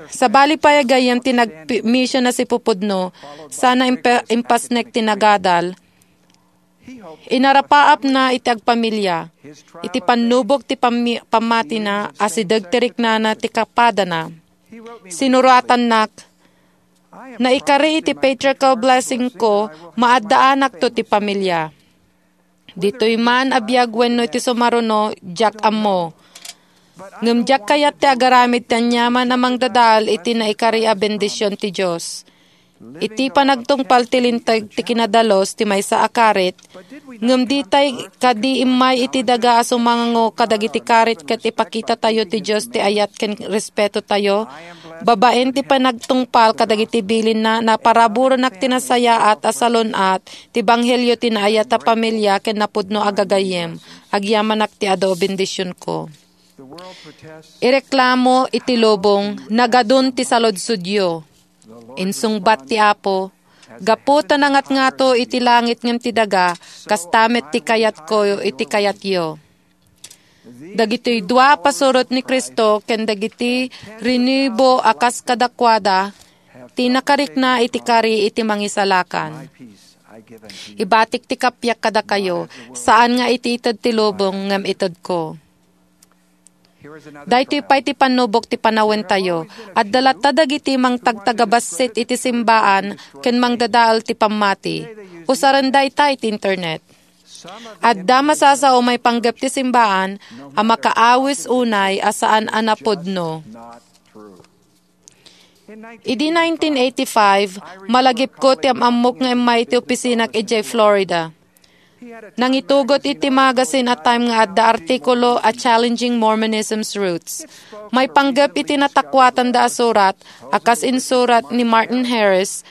Sabali pay a gayyem ti nagmission a sipupudno, sana impa-, impasnek ti nagadal. Inarapaapna iti agpamilya, iti pannubok ti pammi-, pammatina a sideg ti riknana ti kapadana. Sinuratannak, "Naikari iti patriarchal blessingko, maaddaanakto ti pamilya. Ditoy man a biag wenno iti sumaruno, diak ammo. Ngem diak kayat ti agaramid ti aniaman a mangdadael iti naikari a bendision ti Dios." Iti panagtungpal ti Linteg ti Kinadalus ti maysa a karit, ngem ditay kadi immay iti daga a sumango kadagiti karit ket ipakitatayo ti Dios ti ayat ken respetotayo? Babaen ti panagtungpal kadagiti bilinna, naparaburenak ti nasayaat a salun-at ti ebanghelio ti naayat a pamilya ken napudno a gagayyem. Agyamanak ti adu a bendisionko. Ireklamo iti lubong, nagadun ti saludsodyo. Insungbat ti Apo, "Gapu ta nangatngato iti langit ngem ti daga, kasta met ti kayatko iti kayatyo." Dagitoy dua a pasurot ni Cristo ken dagiti rinibo a kas kadakuada ti nakarikna iti kari iti Mangisalakan. Ibatik ti kapiak kadakayo, saan nga iti ited ti lubong ngem itedko. Daytoy pay ti pannubok ti panawentayo. Adda latta dagiti mangtagtagabassit iti simbaan ken mangdadael ti pammati. Usaren dayta iti internet. Adda masasao maipanggep ti simbaan a makaawis unay a saan a napudno. Idi nineteen eighty-five, malagipko ti am-ammok nga immay iti opisinak idiay Florida. Nangitugot iti magazine a Time nga adda artikulo a Challenging Mormonism's Roots. Maipanggep iti natakuatanda a surat a kas insurat ni Martin Harris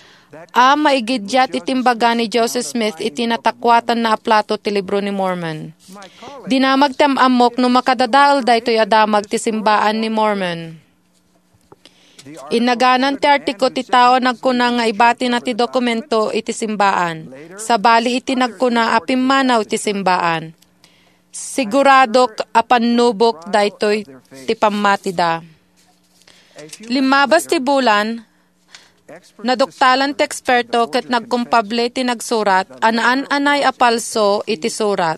a maigiddiat iti imbaga ni Joseph Smith iti natakuatanna a plato ti Libro ni Mormon. Dinamag ti am-ammok no makadadael daytoy a damag ti simbaan ni Mormon. Innaganan ti artiko ti tao a nagkuna nga ibatina ti dokumento iti simbaan. Sabali iti nagkuna a pimmanaw ti simbaan. Siguradok a pannubok daytoy ti pammatida. Limmabas ti bulan, naduktalan ti eksperto ket nagkumpable ti nagsurat a naan-anay a palso iti surat.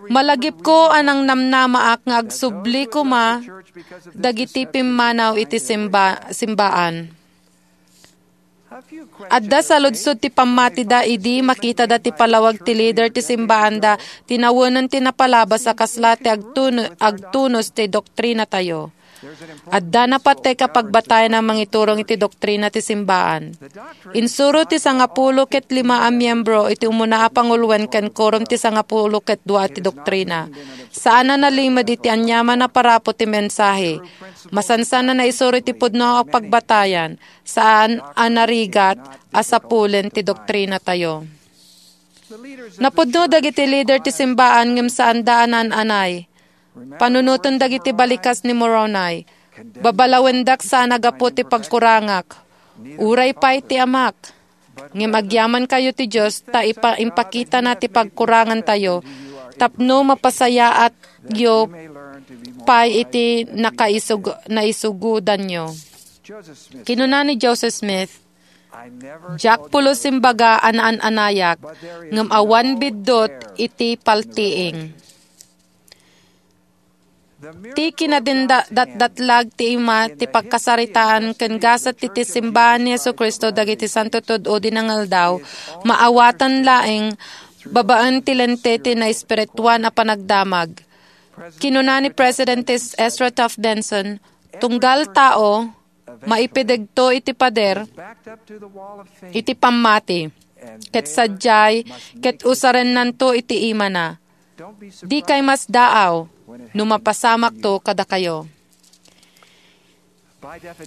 Malagipko a nangnamnamaak nga agsubli koma dagiti pimmanaw iti simba-, simbaan. Adda saludsod ti pammatida idi makitada ti palawag ti lider ti simbaanda ti nawenen ti napalabas a kasla ti agtun-, agtunos ti doktrinatayo. Adda napateg a pagbatayan a mangiturong iti doktrina ti simbaan. Insuro ti sangapulo ket lima a miembro iti umuna a panguloen ken korom ti sangapulo ket dua ti doktrina. Saan a nalimed iti aniaman a parapo ti mensahe. Masansan a naisuro iti pudno a pagbatayan. Saan a narigat a sapulen ti doktrinatayo. Napudno dagiti lider ti simbaan ngem saanda a naan-anay. Panunoten dagiti balikas ni Moroni. Babalawendak saan a gapu ti pagkurangak. Uray pay ti amak. Ngem agyamankayo ti Dios ta ipa-, impakitana ti pagkurangantayo tapno mapasayaatyo pay iti nakaisug-, naisugudanyo. Kinuna ni Joseph Smith, "Diak pulos imbaga a naan-anayak, ngem awan biddut iti paltiing." Ti kinadinda-, datdatlag ti ima ti pagkasaritaan ken gasat ti, ti simbaan ni Jesu-Cristo dagiti santo tud-o di nangaldaw, maawatan laeng babaen ti lente ti naespirituan a panagdamag. Kinuna ni President Ezra Taft Benson, "Tunggal tao, maipidegto iti pader iti pammati, ket sadiay, ket usarennanto iti imana. Dikay masdaaw no mapasamakto kadakayo."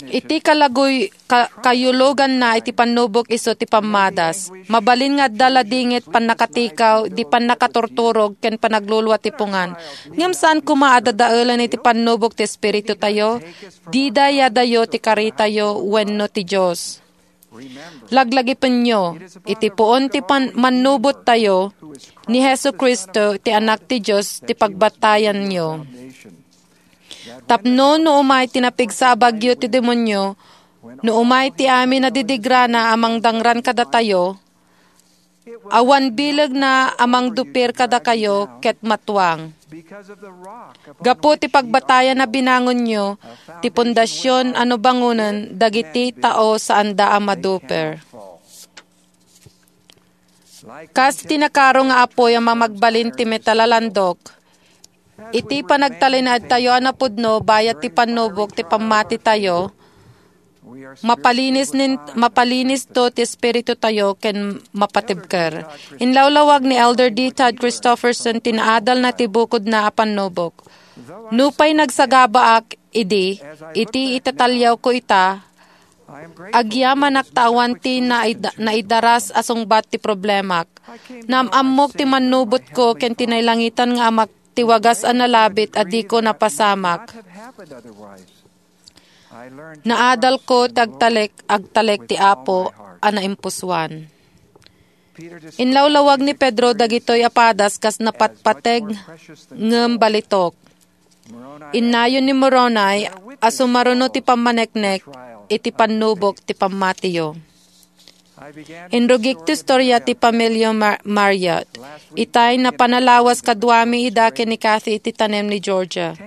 Iti kalaguy-, ka-, kayuloganna iti pannubok isu ti pammadas. Mabalin nga adda ladingit, pannakatikaw, di pannakaturturog, ken panaglulua ti pungan. Ngem saan koma a dadaelen iti pannubok ti Espiritu tayo. Dida yadayo ti karitayo wenno ti Dios. Laglagipenyo, iti puon ti pan-, mannubot tayo, ni Jesu-Cristo, ti Anak ti Dios, ti pagbatayanyo. Tapno no umay ti napigsa a bagyo ti demonio, no umay ti amin a didigrana a mangdangran kadatayo, awan bilegna a mangdupir kadakayo ket matuang. Gapu ti pagbatayan a binangonyo, ti pundasyon a no bangonen dagiti tao saanda a maduper. Kas ti nakaro nga apuy a mamagbalin ti metal a landok, iti panagtalinaedtayo a napudno bayat ti pannubok ti pammatitayo, mapalinis nin-, mapalinis to ti espiritu tayo ken mapatibker. Inlawlawag ni Elder D. Todd Christofferson ti naadalna ti bukodna a pannubok. Nupay nagsagabaak idi, iti itataliawko ita, agyamanak ta awan ti naid-, naidaras a sungbat ti problemak. Naam-ammok ti mannubotko ken ti nailangitan nga Amak ti wagas a nalabit a diko napasamak. Naadalko ti agtalek, agtalek ti Apo a naimpusoan. Inlawlawag ni Pedro dagitoy a padas kas napatpateg ngem balitok. Innayon ni Moroni a sumaruno ti pammaneknek iti pannubok ti pammatiyo. Inrugik ti istorya ti pamilya Mar-, Marriott. Itay napanalawas kaduami ida ken ni Kathy iti tanem ni Georgia.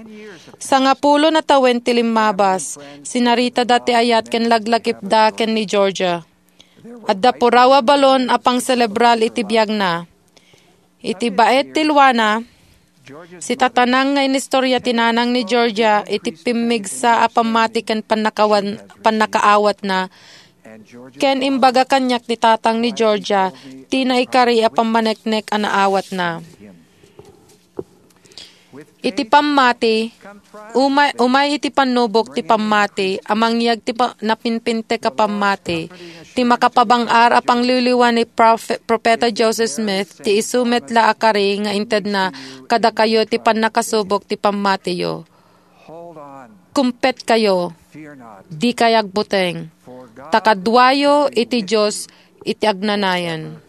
Sangapulo a tawen ti limmabas, sinaritada ti ayat ken laglagipda ken ni Georgia. Adda puraw a balon a pangselebral iti biagna. Iti baet ti luana, sitatanang nga inistorya ti nanang ni Georgia iti pimmigsa a pammati ken pannakawan-, pannakaawatna, ken imbaga kaniak ni tatang ni Georgia ti naikari a pammaneknek a naawatna. Iti pammati, umay, umay iti pannubok ti pammati a mangyeg ti pa-, napinpintek a pammati, ti makapabang-ar a pangliwliwa ni Profe-, Profeta Joseph Smith, ti isu met la a kari nga intedna kadakayo ti pannakasubok ti pammatiyo. Kumpetkayo, dikay agbuteng, ta kaduayo iti Dios iti agnanayon.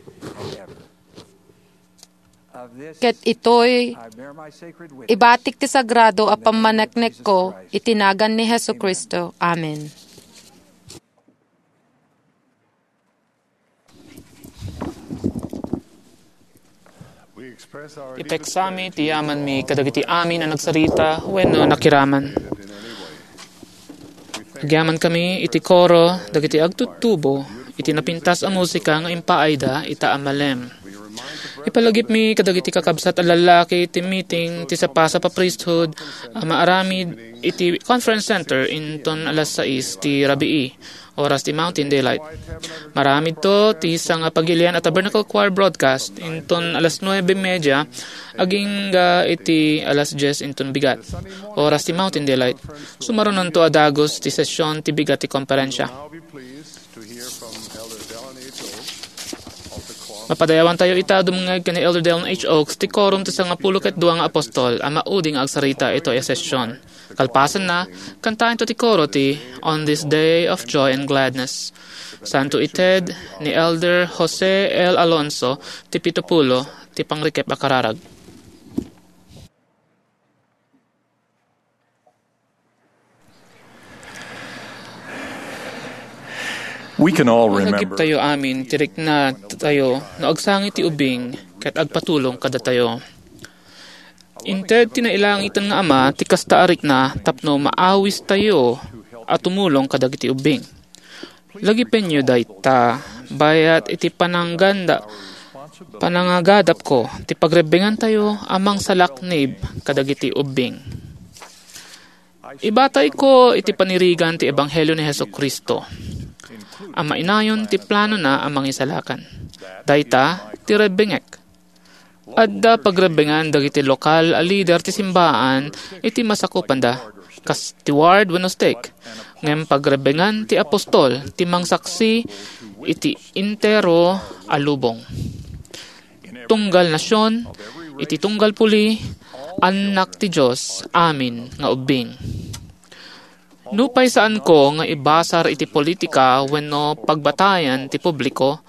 Ket itoy, ibatik ti sagrado a pammaneknekko iti nagan ni Jesu-Cristo. Amen. Ipeksami ti yamanmi kadagiti amin a nagsarita wenno nakiraman. Agyamankami iti koro dagiti agtuttubo iti napintas a musika nga impaayda ita a malem. Ipalagipmi kadagiti kakabsat a lallaki ti meeting ti sapasap a priesthood a maaramid iti Conference Center inton alas sais ti rabii, oras ti Mountain Daylight. Maaramidto ti sangapagilian a Tabernacle Choir broadcast inton alas nuebe media agingga iti alas dies inton bigat, oras ti Mountain Daylight. Sumarunonto a dagus ti session ti bigat ti komperensia. Mapadayawantayo ita dumngeg ken ni Elder Dallin H. Oaks ti Quorum ti Sangapulo ket Dua nga Apostol a maudi nga agsarita itoy a session. Kalpasanna, kantaentayo ti koro ti On This Day of Joy and Gladness. Santo ited ni Elder Jose L. Alonso ti pito pulo ti pangrikep a kararag. We can all remember. Malagiptayo amin ti rikna tayo no agsangit ti ubing ket agpatulong kadatayo. Inted ti nailangitan nga Ama ti kasta a rikna tapno maawistayo a tumulong kadagiti ubbing. Lagipenyo dayta, bayat iti panangganda-, panangagadapko ti pagrebbengantayo a mangsalaknib kadagiti ubbing. Ibatayko iti panirigan ti ebanghelio ni Jesu-Cristo a mainayon ti planona a mangisalakan. Dayta ti rebbengek. Adda pagrebbengan dagiti lokal a lider ti simbaan iti masakupanda. kas ti ward wenno stake, ngem pagrebengan ti apostol ti mangsaksi iti entero a lubong. Tunggal nasion, iti tunggal puli, annak ti Dios amin nga ubbing. Nupay saanko nga ibasar iti politika wenno pagbatayan ti publiko,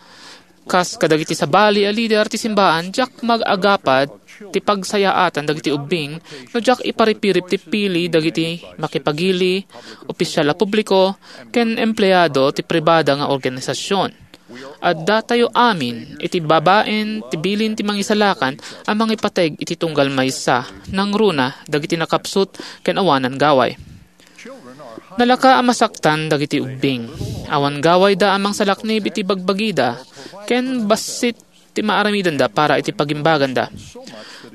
kas kadagiti sabali a lider ti simbaan, diak mag-agapad ti pagsayaatan dagiti ubbing no diak iparipirip ti pili dagiti makipagili, opisial a publiko, ken empleado ti pribada nga organisasyon. Adda tayo amin iti babaen ti bilin ti mangisalakan a mangipateg iti tunggal maysa, nangruna dagiti nakapsut ken awanan gaway. Nalaka a masaktan dagiti ubbing. Awan gawayda a mangsalaknib iti bagbagida, ken bassit ti maaramidenda para iti pagimbaganda.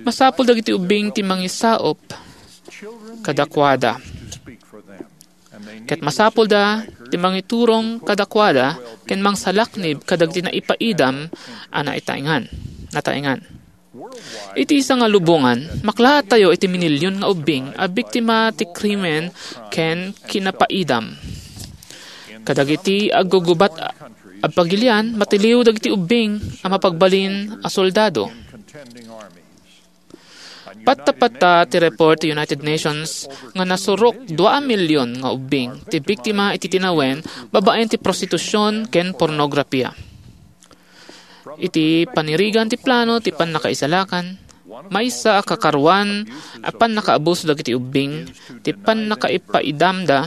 Masapul dagiti ubbing ti mangisaop kadakuada. Ket masapulda ti mangiturong kadakuada ken mangsalaknib kadagiti naipaidam a naitaengan, nataengan. Iti isa nga lubongan, maklaat tayo iti minilyon nga ubbing a biktima ti krimen ken kinapaidam. Kadagiti aggugubat a pagilian, matiliw dagiti ubbing a mapagbalin a soldado. Patta-patta ti report ti United Nations nga nasurok dua a milyon nga ubbing ti biktima iti tinawen babaen ti prostitusion ken pornografia. Iti panirigan ti plano ti pannakaisalakan, maysa a kakaruan a pannakaabuso dagiti ubbing ti pannakaipaidamda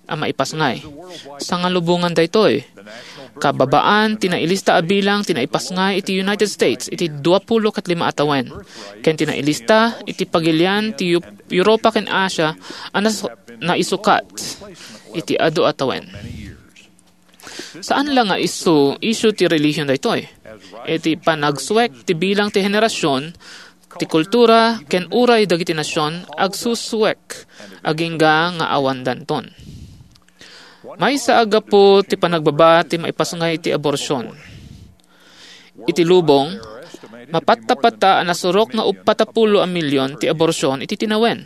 a maipasngay. Sangalubongan daytoy, kababaan ti nailista a bilang ti naipasngay iti United States iti duapulo ket lima a tawen, ken ti nailista iti pagilian ti Eu-, Europa ken Asia a nas-, naisukat iti adu a tawen. Saan la nga isu, isu ti relihion daytoy. Iti panagsuek ti bilang ti henerasyon, ti kultura, ken uray dagiti nasion agsusuek agingga nga awan danton. Maysa a gapu ti panagbaba ti maipasngay ti aborsion. Iti lubong, mapatta-patta a nasurok nga uppat a pulo a milyon ti aborsion iti tinawen.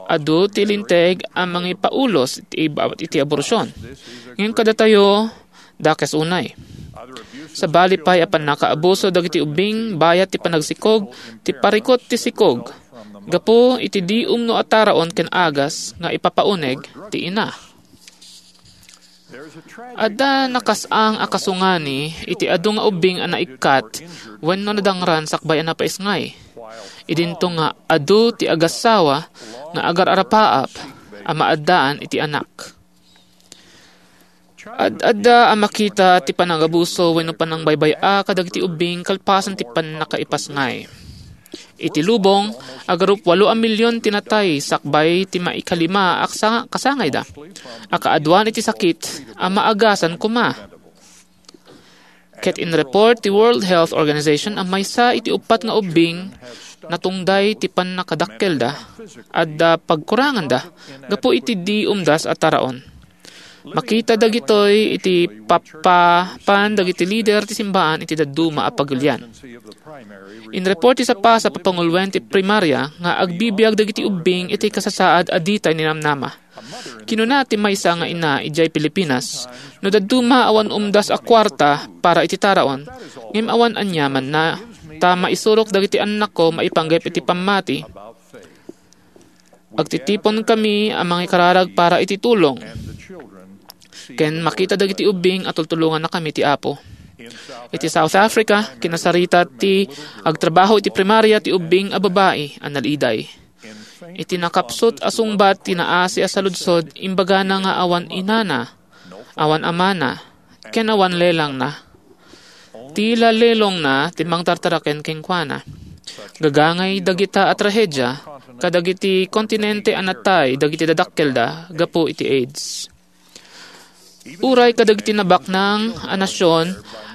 Adu ti linteg a mangipaulos iti, iti aborsion. Ngem kadatayo, dakes unay. Sabali pay a pannakaabuso dagiti ubbing bayat ti panagsikog, ti parikut ti sikog, gapu iti di umno a taraon ken agas nga ipapauneg ti ina. Adda nakasang a kasungani iti adu nga ubbing a naikkat wenno nadangran sakbay a napaisngay. Idinto nga adu ti agassawa nga agar-arapaap a maaddaan iti anak. Ad-adda a makita ti panangabuso wenno panangbaybay-a kadagiti ubbing kalpasan ti pannakaipasngay. Iti lubong, agarup walo a milyon ti natay sakbay ti maikalima a kasa-, kasangayda a kaaduan iti sakit a maagasan koma. Ket inreport ti World Health Organization a maysa iti uppat nga ubbing natungday ti pannakadakkelda, adda pagkuranganda gapu iti di umdas a taraon. Makita dagitoy iti pappapan dagiti lider ti simbaan iti dadduma a pagilian. Inreport ti sapasap a panguluen ti primaria nga agbibiag dagiti ubbing iti kasasaad a ditay ninamnama. Kinuna ti maysa nga ina idiay Pilipinas, "No dadduma awan umdas a kuarta para iti taraon, ngem awan aniamanna, ta maisurok dagiti annakko maipanggep iti pammati." Agtitiponkami a mangikararag para iti tulong, ken makita dagiti ubbing a tultulongannakami ti Apo. Iti South Africa, kinasarita ti agtrabaho iti primaria ti ubbing a babai a naliday. Iti nakapsut a sungbat ti naasi a saludsod, imbagana nga awan inana, awan amana, ken awan lelangna. Ti lalelongna ti mangtartaraken kenkuana. Gagangay dagita a trahedia kadagiti kontinente a natay dagiti dadakkelda gapu iti AIDS. Uray kadagiti nabaknang a nasion,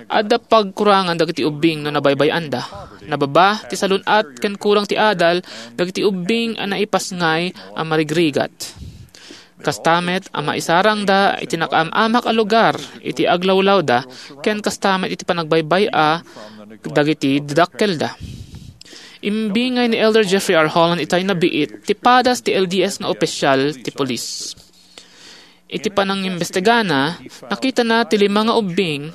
adda pagkurangan dagiti ubbing no nabaybay-anda. Nababa ti salun-at ken kurang ti adal dagiti ubbing a naipasngay a marigrigat. Kasta met a maisarangda iti nakaam-amak a lugar iti aglawlawda ken kasta met iti panagbaybay-a dagiti dadakkelda. Imbingay ni Elder Jeffrey R. Holland itay nabiit ti padas ti L D S nga opisyal ti pulis. Iti panangimbestigana, nakitana ti lima nga ubbing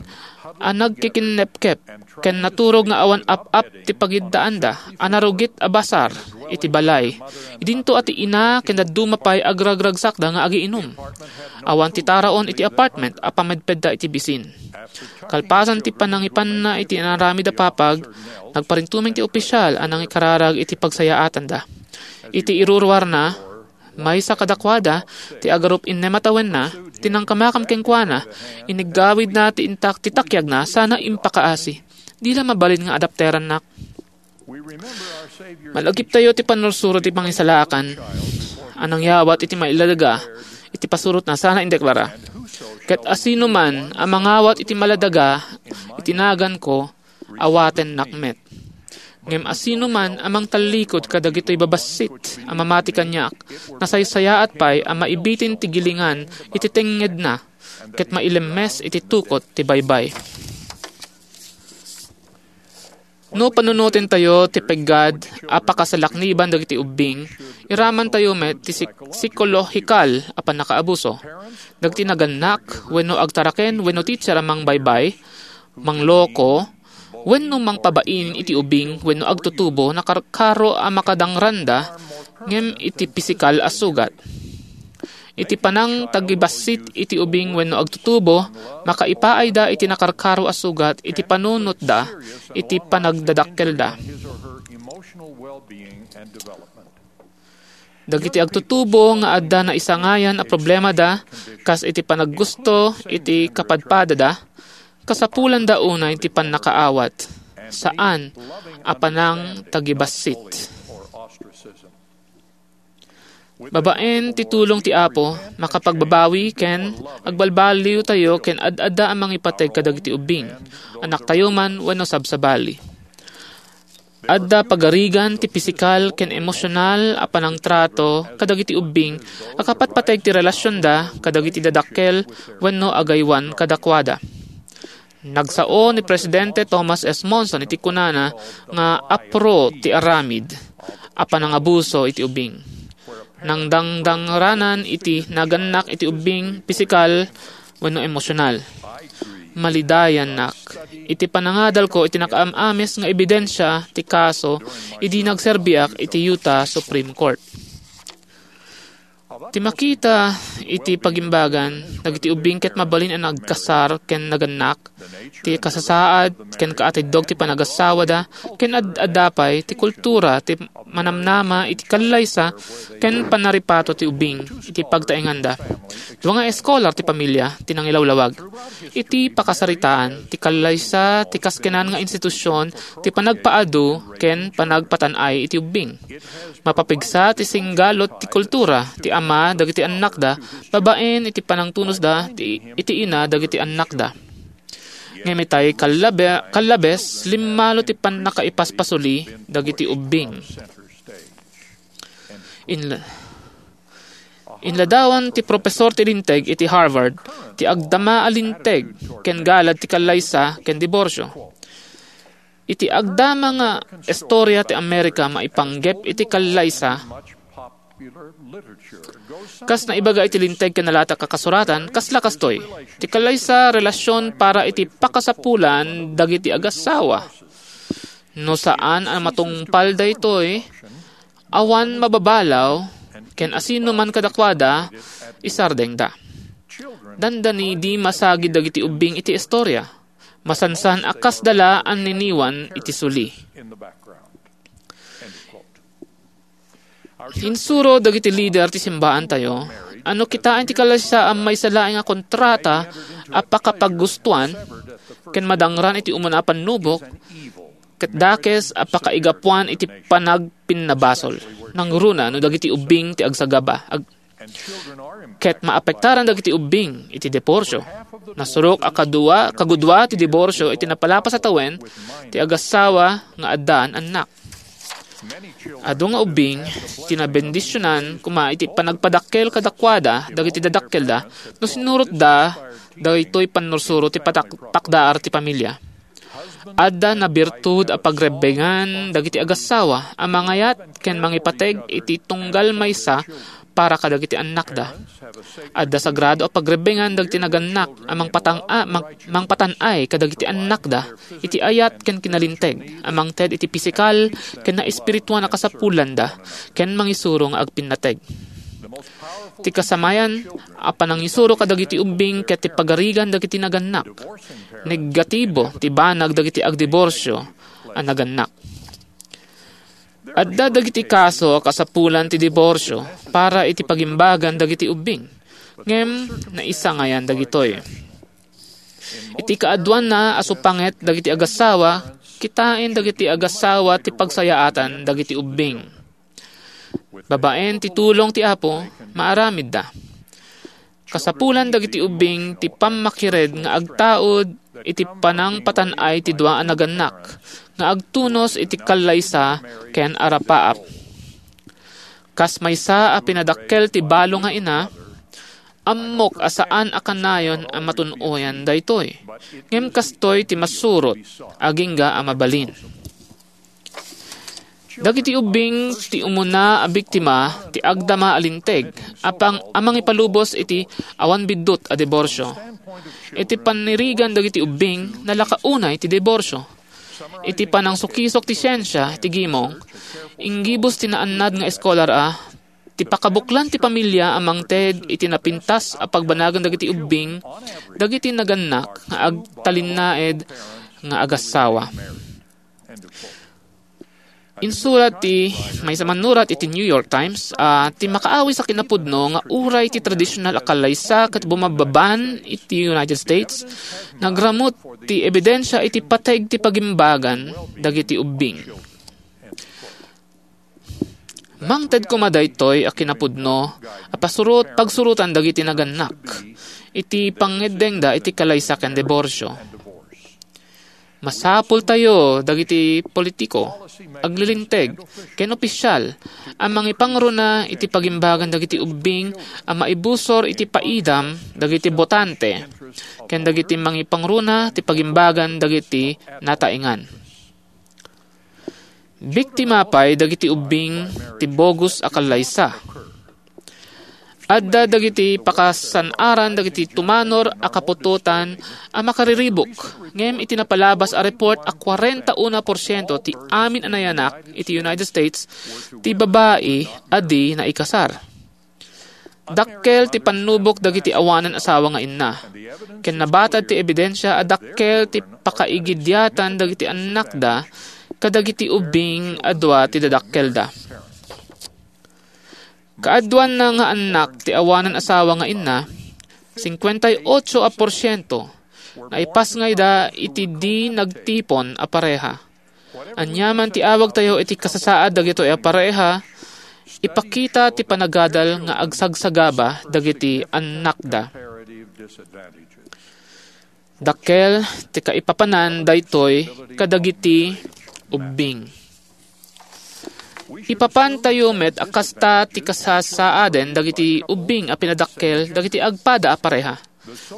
a nagkikinnepkep ken naturog nga awan ap-ap ti pagiddaanda a narugit a basar iti balay. Idinto a ti ina ken dadduma pay agragsaksakda nga agiinum. Awan ti taraon iti apartment a pamedpedda iti bisin. Kalpasan ti panangipanna iti inaramid a papag, nagparintumeng ti opisyal a nangikararag iti pagsayaatanda. Iti iruruarna, maysa kadakuada ti agarup innem a tawenna ti nangkamakam kenkuana, iniggawidna ti intak ti takiagna sana impakaasi. Di la mabalin nga adapterannak. Malagiptayo ti pannursuro ti pangisalakan a nangyawat iti mailadaga iti pasurotna sana indeklara, "Ket asinoman a mangawat iti maladaga iti naganko, awatennak met. Ngem asinoman a mangtallikud kadagitoy babassit a mamati kaniak, nasaysayaat pay a maibitin ti gilingan iti tengngedna ket mailemmes iti tukot ti baybay." No panunotentayo ti peggad a pakasalakniban dagiti ubbing, iramantayo met ti sik-, psikolohikal a pannakaabuso. Dagiti nagannak wenno agtaraken wenno teacher a mangbaybay, mangloko, wenno mangpabain iti ubing wenno agtutubo, nakarkaro a makadangranda ngem iti pisikal a sugat. Iti panangtagibassit iti ubing wenno agtutubo, makaipaayda iti nakarkaro a sugat iti panunotda iti panagdadakkelda. Dagiti agtutubo nga adda naisangayan a problemada, kas iti panaggusto iti kapadpadada, kasapulanda unay ti pannakaawat, saan a panangtagibassit. Babaen ti tulong ti Apo, makapagbabawi ken agbalbaliwtayo ken ad-adda a mangipateg kadagiti ubbing, anaktayo man wenno sabsabali. Adda pagarigan ti pisikal ken emosional a panangtrato kadagiti ubbing a kapatpateg ti relasionda kadagiti dadakkel wenno agaywan kadakuada. Nagsao ni Presidente Thomas S. Monson iti kunana nga apro ti aramid a panangabuso iti ubbing. Nangdangdangranan iti nagannak iti ubbing pisikal wenno emosional. Malidayannak iti panangadalko iti nakaam-amis nga ebidensia ti kaso idi nagserbiak iti Utah Supreme Court. Ti makita iti pagimbagan dagiti ubbing ket mabalin a nagkasar ken nagannak, ti kasasaad ken kaatiddog ti panagassawada, ken ad-adda pay ti kultura ti manamnama iti kallaysa ken pannaripato ti ubbing iti pagtaenganda. Dua nga eskolar ti pamilia ti nangilawlawag. Iti pakasaritaan, ti kallaysa ti kaskenan nga institusion ti panagpaadu ken panagpatan-ay iti ubbing. Mapapigsa ti singgalot ti kultura ti ama dagiti annakda babaen iti panangtunosda ti, iti ina dagiti annakda. Ngem itay kallabe-, kallabes, limmalo ti pannakaipaspasuli dagiti ubbing. Inla-, inladawan ti profesor ti linteg iti Harvard ti agdama a linteg ken galad ti kallaysa ken diborsio. Iti agdama nga istorya ti Amerika maipanggep iti kallaysa, kas naibaga iti linteg ken nalatak a kasuratan, kasla kastoy, ti kallaysa relasion para iti pakasapulan dagiti agassawa. No saan a matungpal daytoy, awan mababalaw ken asino man kadakuada, isardengda. Dandani di masagid dagiti ubbing iti istorya. Masansan a kasda la a niniwan iti suli. Insuro dagiti lider ti simbaantayo a no kitaen ti kallaysa a maysa laeng a kontrata a pakapaggustuan ken madangran iti umuna a pannubok, ket dakes a pakaigapuan iti panagpinnabasol. Nangruna no dagiti ubbing ti agsagaba, ag-, ket maapektaran dagiti ubbing iti diborsio. Nasurok a kadua, kagudua ti diborsio iti napalapas a tawen ti agassawa nga addaan annak. Adu nga ubbing ti nabendisionan koma iti panagpadakkel kadakuada dagiti dadakkelda no sinurotda daytoy pannursuro ti patak-, pakdaar ti pamilia. Adda nabirtud a pagrebbengan dagiti agassawa a mangayat ken mangipateg iti tunggal maysa para kadagiti annakda. Adda sagrado a pagrebbengan dagiti nagannak a mangpatang-, a, mang-, mangpatan-ay kadagiti annakda iti ayat ken kinalinteg a mangted iti pisikal ken naespirituan a kasapulanda ken mangisuro nga agpinnateg. Ti kasamayan a panangisuro kadagiti ubbing ket ti pagarigan dagiti nagannak. Negatibo ti banag dagiti agdiborsio a nagannak. Adda dagiti kaso a kasapulan ti diborsio para iti pagimbagan dagiti ubbing, ngem naisangayan dagitoy. Iti kaaduanna a supanget dagiti agassawa, kitaen dagiti agassawa ti pagsayaatan dagiti ubbing. Babaen ti tulong ti Apo, maaramidda. Kasapulan dagiti ubbing ti pammakired nga agtaud iti panangpatan-ay ti dua a nagannak nga agtunos iti kallaysa ken arapaap. Kas maysa a pinadakkel ti balo nga ina, ammok a saan a kanayon a matun-oyan daytoy, ngem kastoy ti masurot agingga a mabalin. Dagiti ubbing ti umuna a biktima ti agdama a linteg a pang-, a mangipalubos iti awan biddut a diborsio. Iti panirigan dagiti ubbing, nalaka unay ti diborsio. Iti panangsukisok ti siensia ti gimong, inggibus ti naannad nga eskolar a ti pakabuklan ti pamilya a mangted iti napintas a pagbanagan dagiti ubbing dagiti nagannak nga agtalinnaed nga agassawa. Insurat ti maysa mannurat iti New York Times a ti makaawis a kinapudno nga uray ti tradisyonal a kallaysa ket bumabbaban iti United States, nagramut ti ebidensia iti pateg ti pagimbagan dagiti ubbing. Mangted koma daytoy a kinapudno a pasurot, pagsurotan dagiti nagannak iti pangngeddengda iti kalaysa ken diborsio. Masapultayo dagiti politiko, aglilinteg, ken opisial a mangipangruna iti pagimbagan dagiti ubbing a maibusor iti paidam dagiti botante ken dagiti mangipangruna ti pagimbagan dagiti nataengan. Biktima pay dagiti ubbing ti bogus a kallaysa. Adda dagiti pakasan-aran dagiti tumanor a kaputotan a makariribuk, ngem iti napalabas a report a kwarenta uno porsiento ti amin a nayanak iti United States ti babai a di naikasar. Dakkel ti pannubok dagiti awanan asawa nga inna, ken nabatad ti ebidensia a dakkel ti pakaigidiatan dagiti annakda kadagiti ubbing a dua ti dadakkelda. Kaaduanna nga annak ti awanan asawa nga inna, singkuenta y ocho a porsiento, naipasngayda iti di nagtipon a pareha. Aniaman ti awagtayo iti kasasaad dagitoy a pareha, ipakita ti panagadal nga agsagsagaba dagiti annakda. Dakkel ti kaipapanan daytoy kadagiti ubbing. Ipapantayo met a kasta ti kasasaaden dagiti ubbing a pinadakkel dagiti agpada a pareha.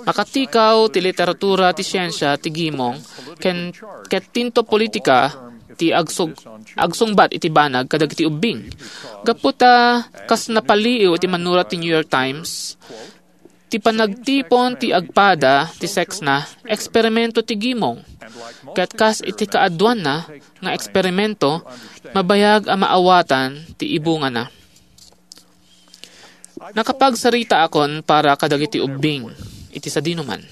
Makatikaw ti literatura ti siensia ti gimong ken ket tinto politika ti agsug-, agsungbat iti banag kadagiti ubbing. Gapu ta kas napaliiw iti mannurat ti New York Times, ti panagtipon ti agpada ti seksna, eksperimento ti gimong. Ket kas iti kaaduanna nga eksperimento, mabayag a maawatan ti ibungana. Nakapagsaritaakon para kadagiti ubbing iti sadinoman.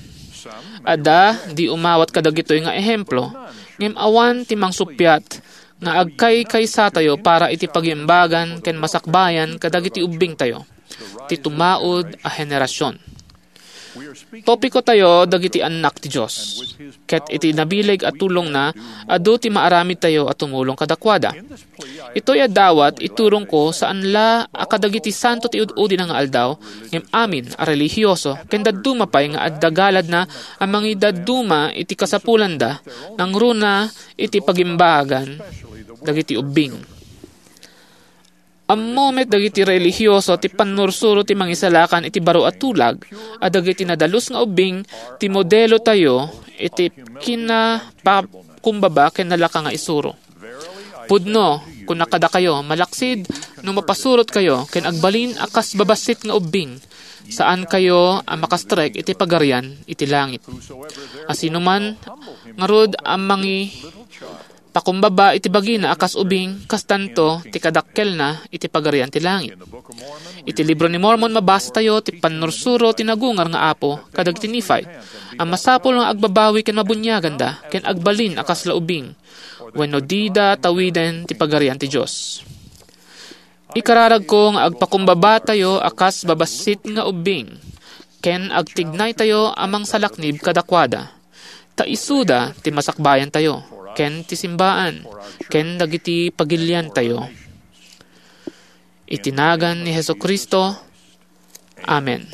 Adda di umawat kadagitoy nga ehemplo, ngem awan ti mangsuppiat nga agkaykaysatayo para iti pagimbagan ken masakbayan kadagiti ubbingtayo, ti tumaud a henerasion. Topikotayo dagiti annak ti Dios, ket iti nabileg a tulongna, adu ti maaramidtayo a tumulong kadakuada. Itoy a dawat iturongko saan la a kadagiti santo ti ud-udina nga aldaw, ngem amin a relihioso ken dadduma pay nga adda galadna a mangidadduma iti kasapulanda nangruna iti pagimbagan dagiti ubbing. Ammo met dagiti relihioso ti pannursuro ti Mangisalakan iti baro a tulag a dagiti nadalus nga ubbing ti modelotayo iti kinapa-, kumbaba ken nalaka nga isuro. Pudno, kunak kadakayo, malaksid no mapasurotkayo ken agbalin a kas babassit nga ubbing, saankayo a makastrek iti Pagarian iti langit. Asinoman ngarud a mangipakumbaba iti bagina a kas ubing, kastanto ti kadakkelna iti Pagarian ti langit. Iti Libro ni Mormon, mabasatayo ti pannursuro ti nagungar nga Apo kadagiti Nefi a masapul nga agbabawi ken mabuniaganda ken agbalin a kasla ubing, wenno dida tawiden ti Pagarian ti Dios. Ikararagko nga agpakumbabatayo a kas babassit nga ubbing, ken agtignaytayo a mangsalaknib kadakuada, ta isuda ti masakbayantayo, ken ti simbaan, ken dagiti pagiliantayo. Iti nagan ni Jesu-Cristo, amen.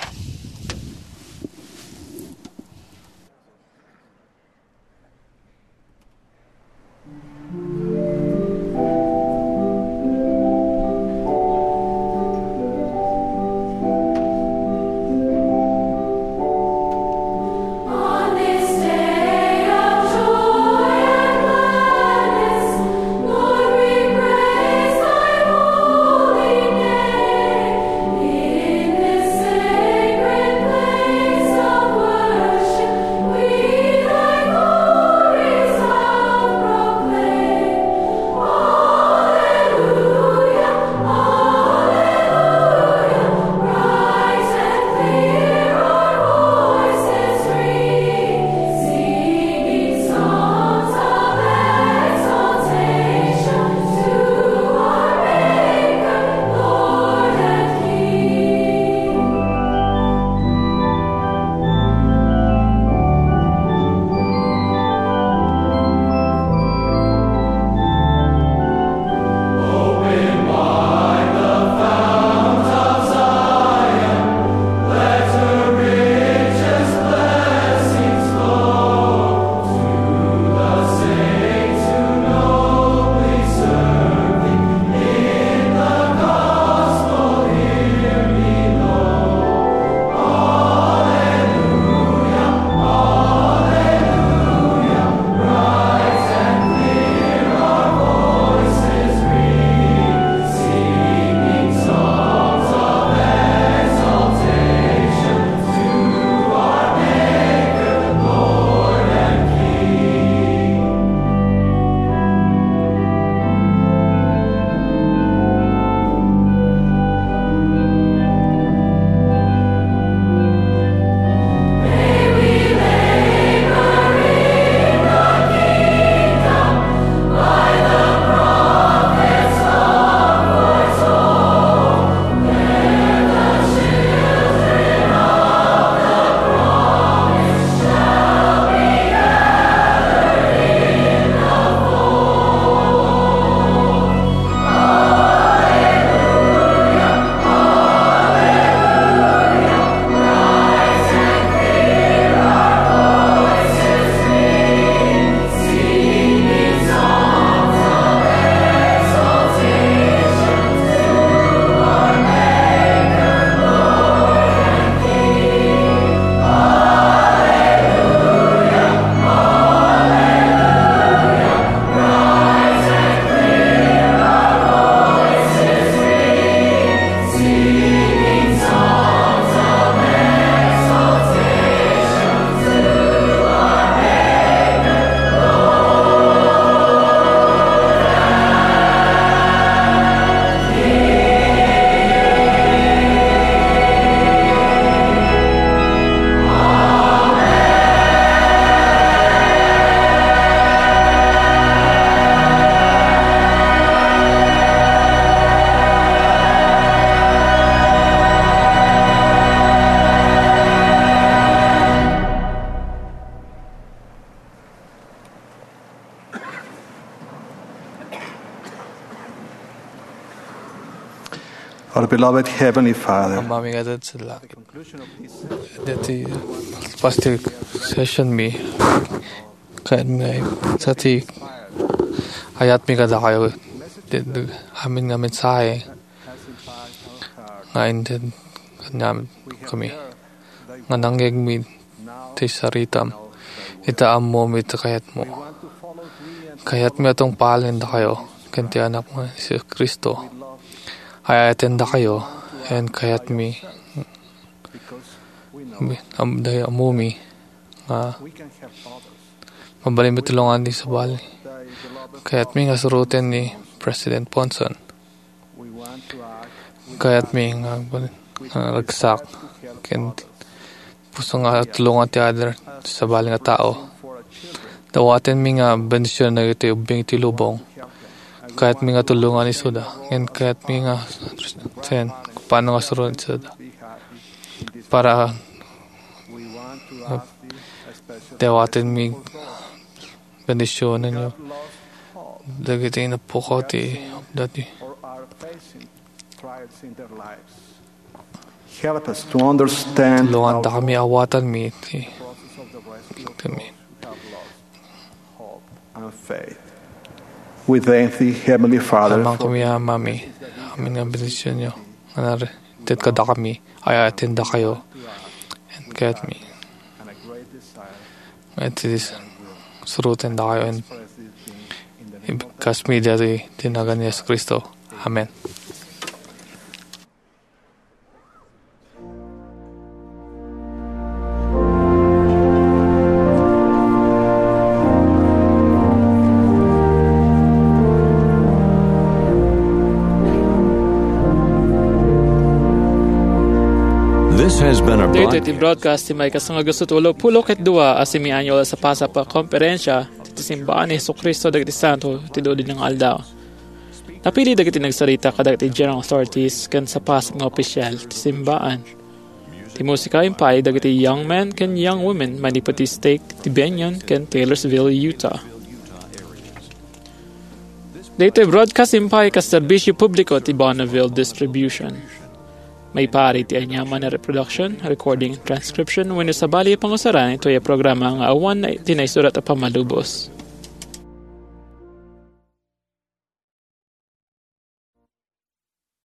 Our beloved Heavenly Father, Amami nga adda sa langit. Deti pastor session mi, kayatmi nga sa ti ayatmi kadakayo, deti amin nga mensahe nga inted kaniam kami, nga nangngegmi ti saritam, ita ammomi ti kayatmo. Kayatmi a tungpalen dakayo ken ti Anakmo a Jesu-Cristo. Ay-ayatendakayo, ken kayatmi am-, day-, ammom nga mabalinmi tulongan ti sabali. Kayatmi nga suruten ni President Monson. Kayatmi nga agbal-, nga ragsak ken puso nga tulongan ti adda ti sabali nga tao. Dawatenmi nga bendision dagiti ubbing ti lubong. Kayatmi nga tulongan isuda. Ngem kayatmi nga sen, paano nga suruten isuda. Para, ah, dawatenmi bendisionenyo dagiti napukaw ti dati. Help us to understand Tulongandakami a awatanmi ti kami. And faith. We thank thee, Heavenly Father, Amangkami a Amami, amin nga bendisionyo nga narited kadakami, ay-ayatendakayo, ken kayatmi. Nga iti suruten dakayo, ken ibagkami daytoy iti nagan ni Jesu-Cristo. Amen. This has been a Daytoy ti broadcast ti maikasangagusut ulo pulo ket dua a semi-annual a sapasap a konferensia ti Simbaan ni Jesu-Cristo dagiti Santo ti Dudi nga Aldaw. Napili dagiti nagsarita kadagiti general authorities ken sapasap nga opisial ti simbaan. Ti musika impay dagiti Young Men ken Young Women manipud ti stake ti Bennion ken Taylorsville, Utah. Daytoy broadcast impay kas serbisyo publiko ti Bonneville Distribution. Maipaay ti aniaman a reproduction, recording, transcription, wenno sabali a pangusaran itoy a programa nga awan ti naisurat a pammalubos.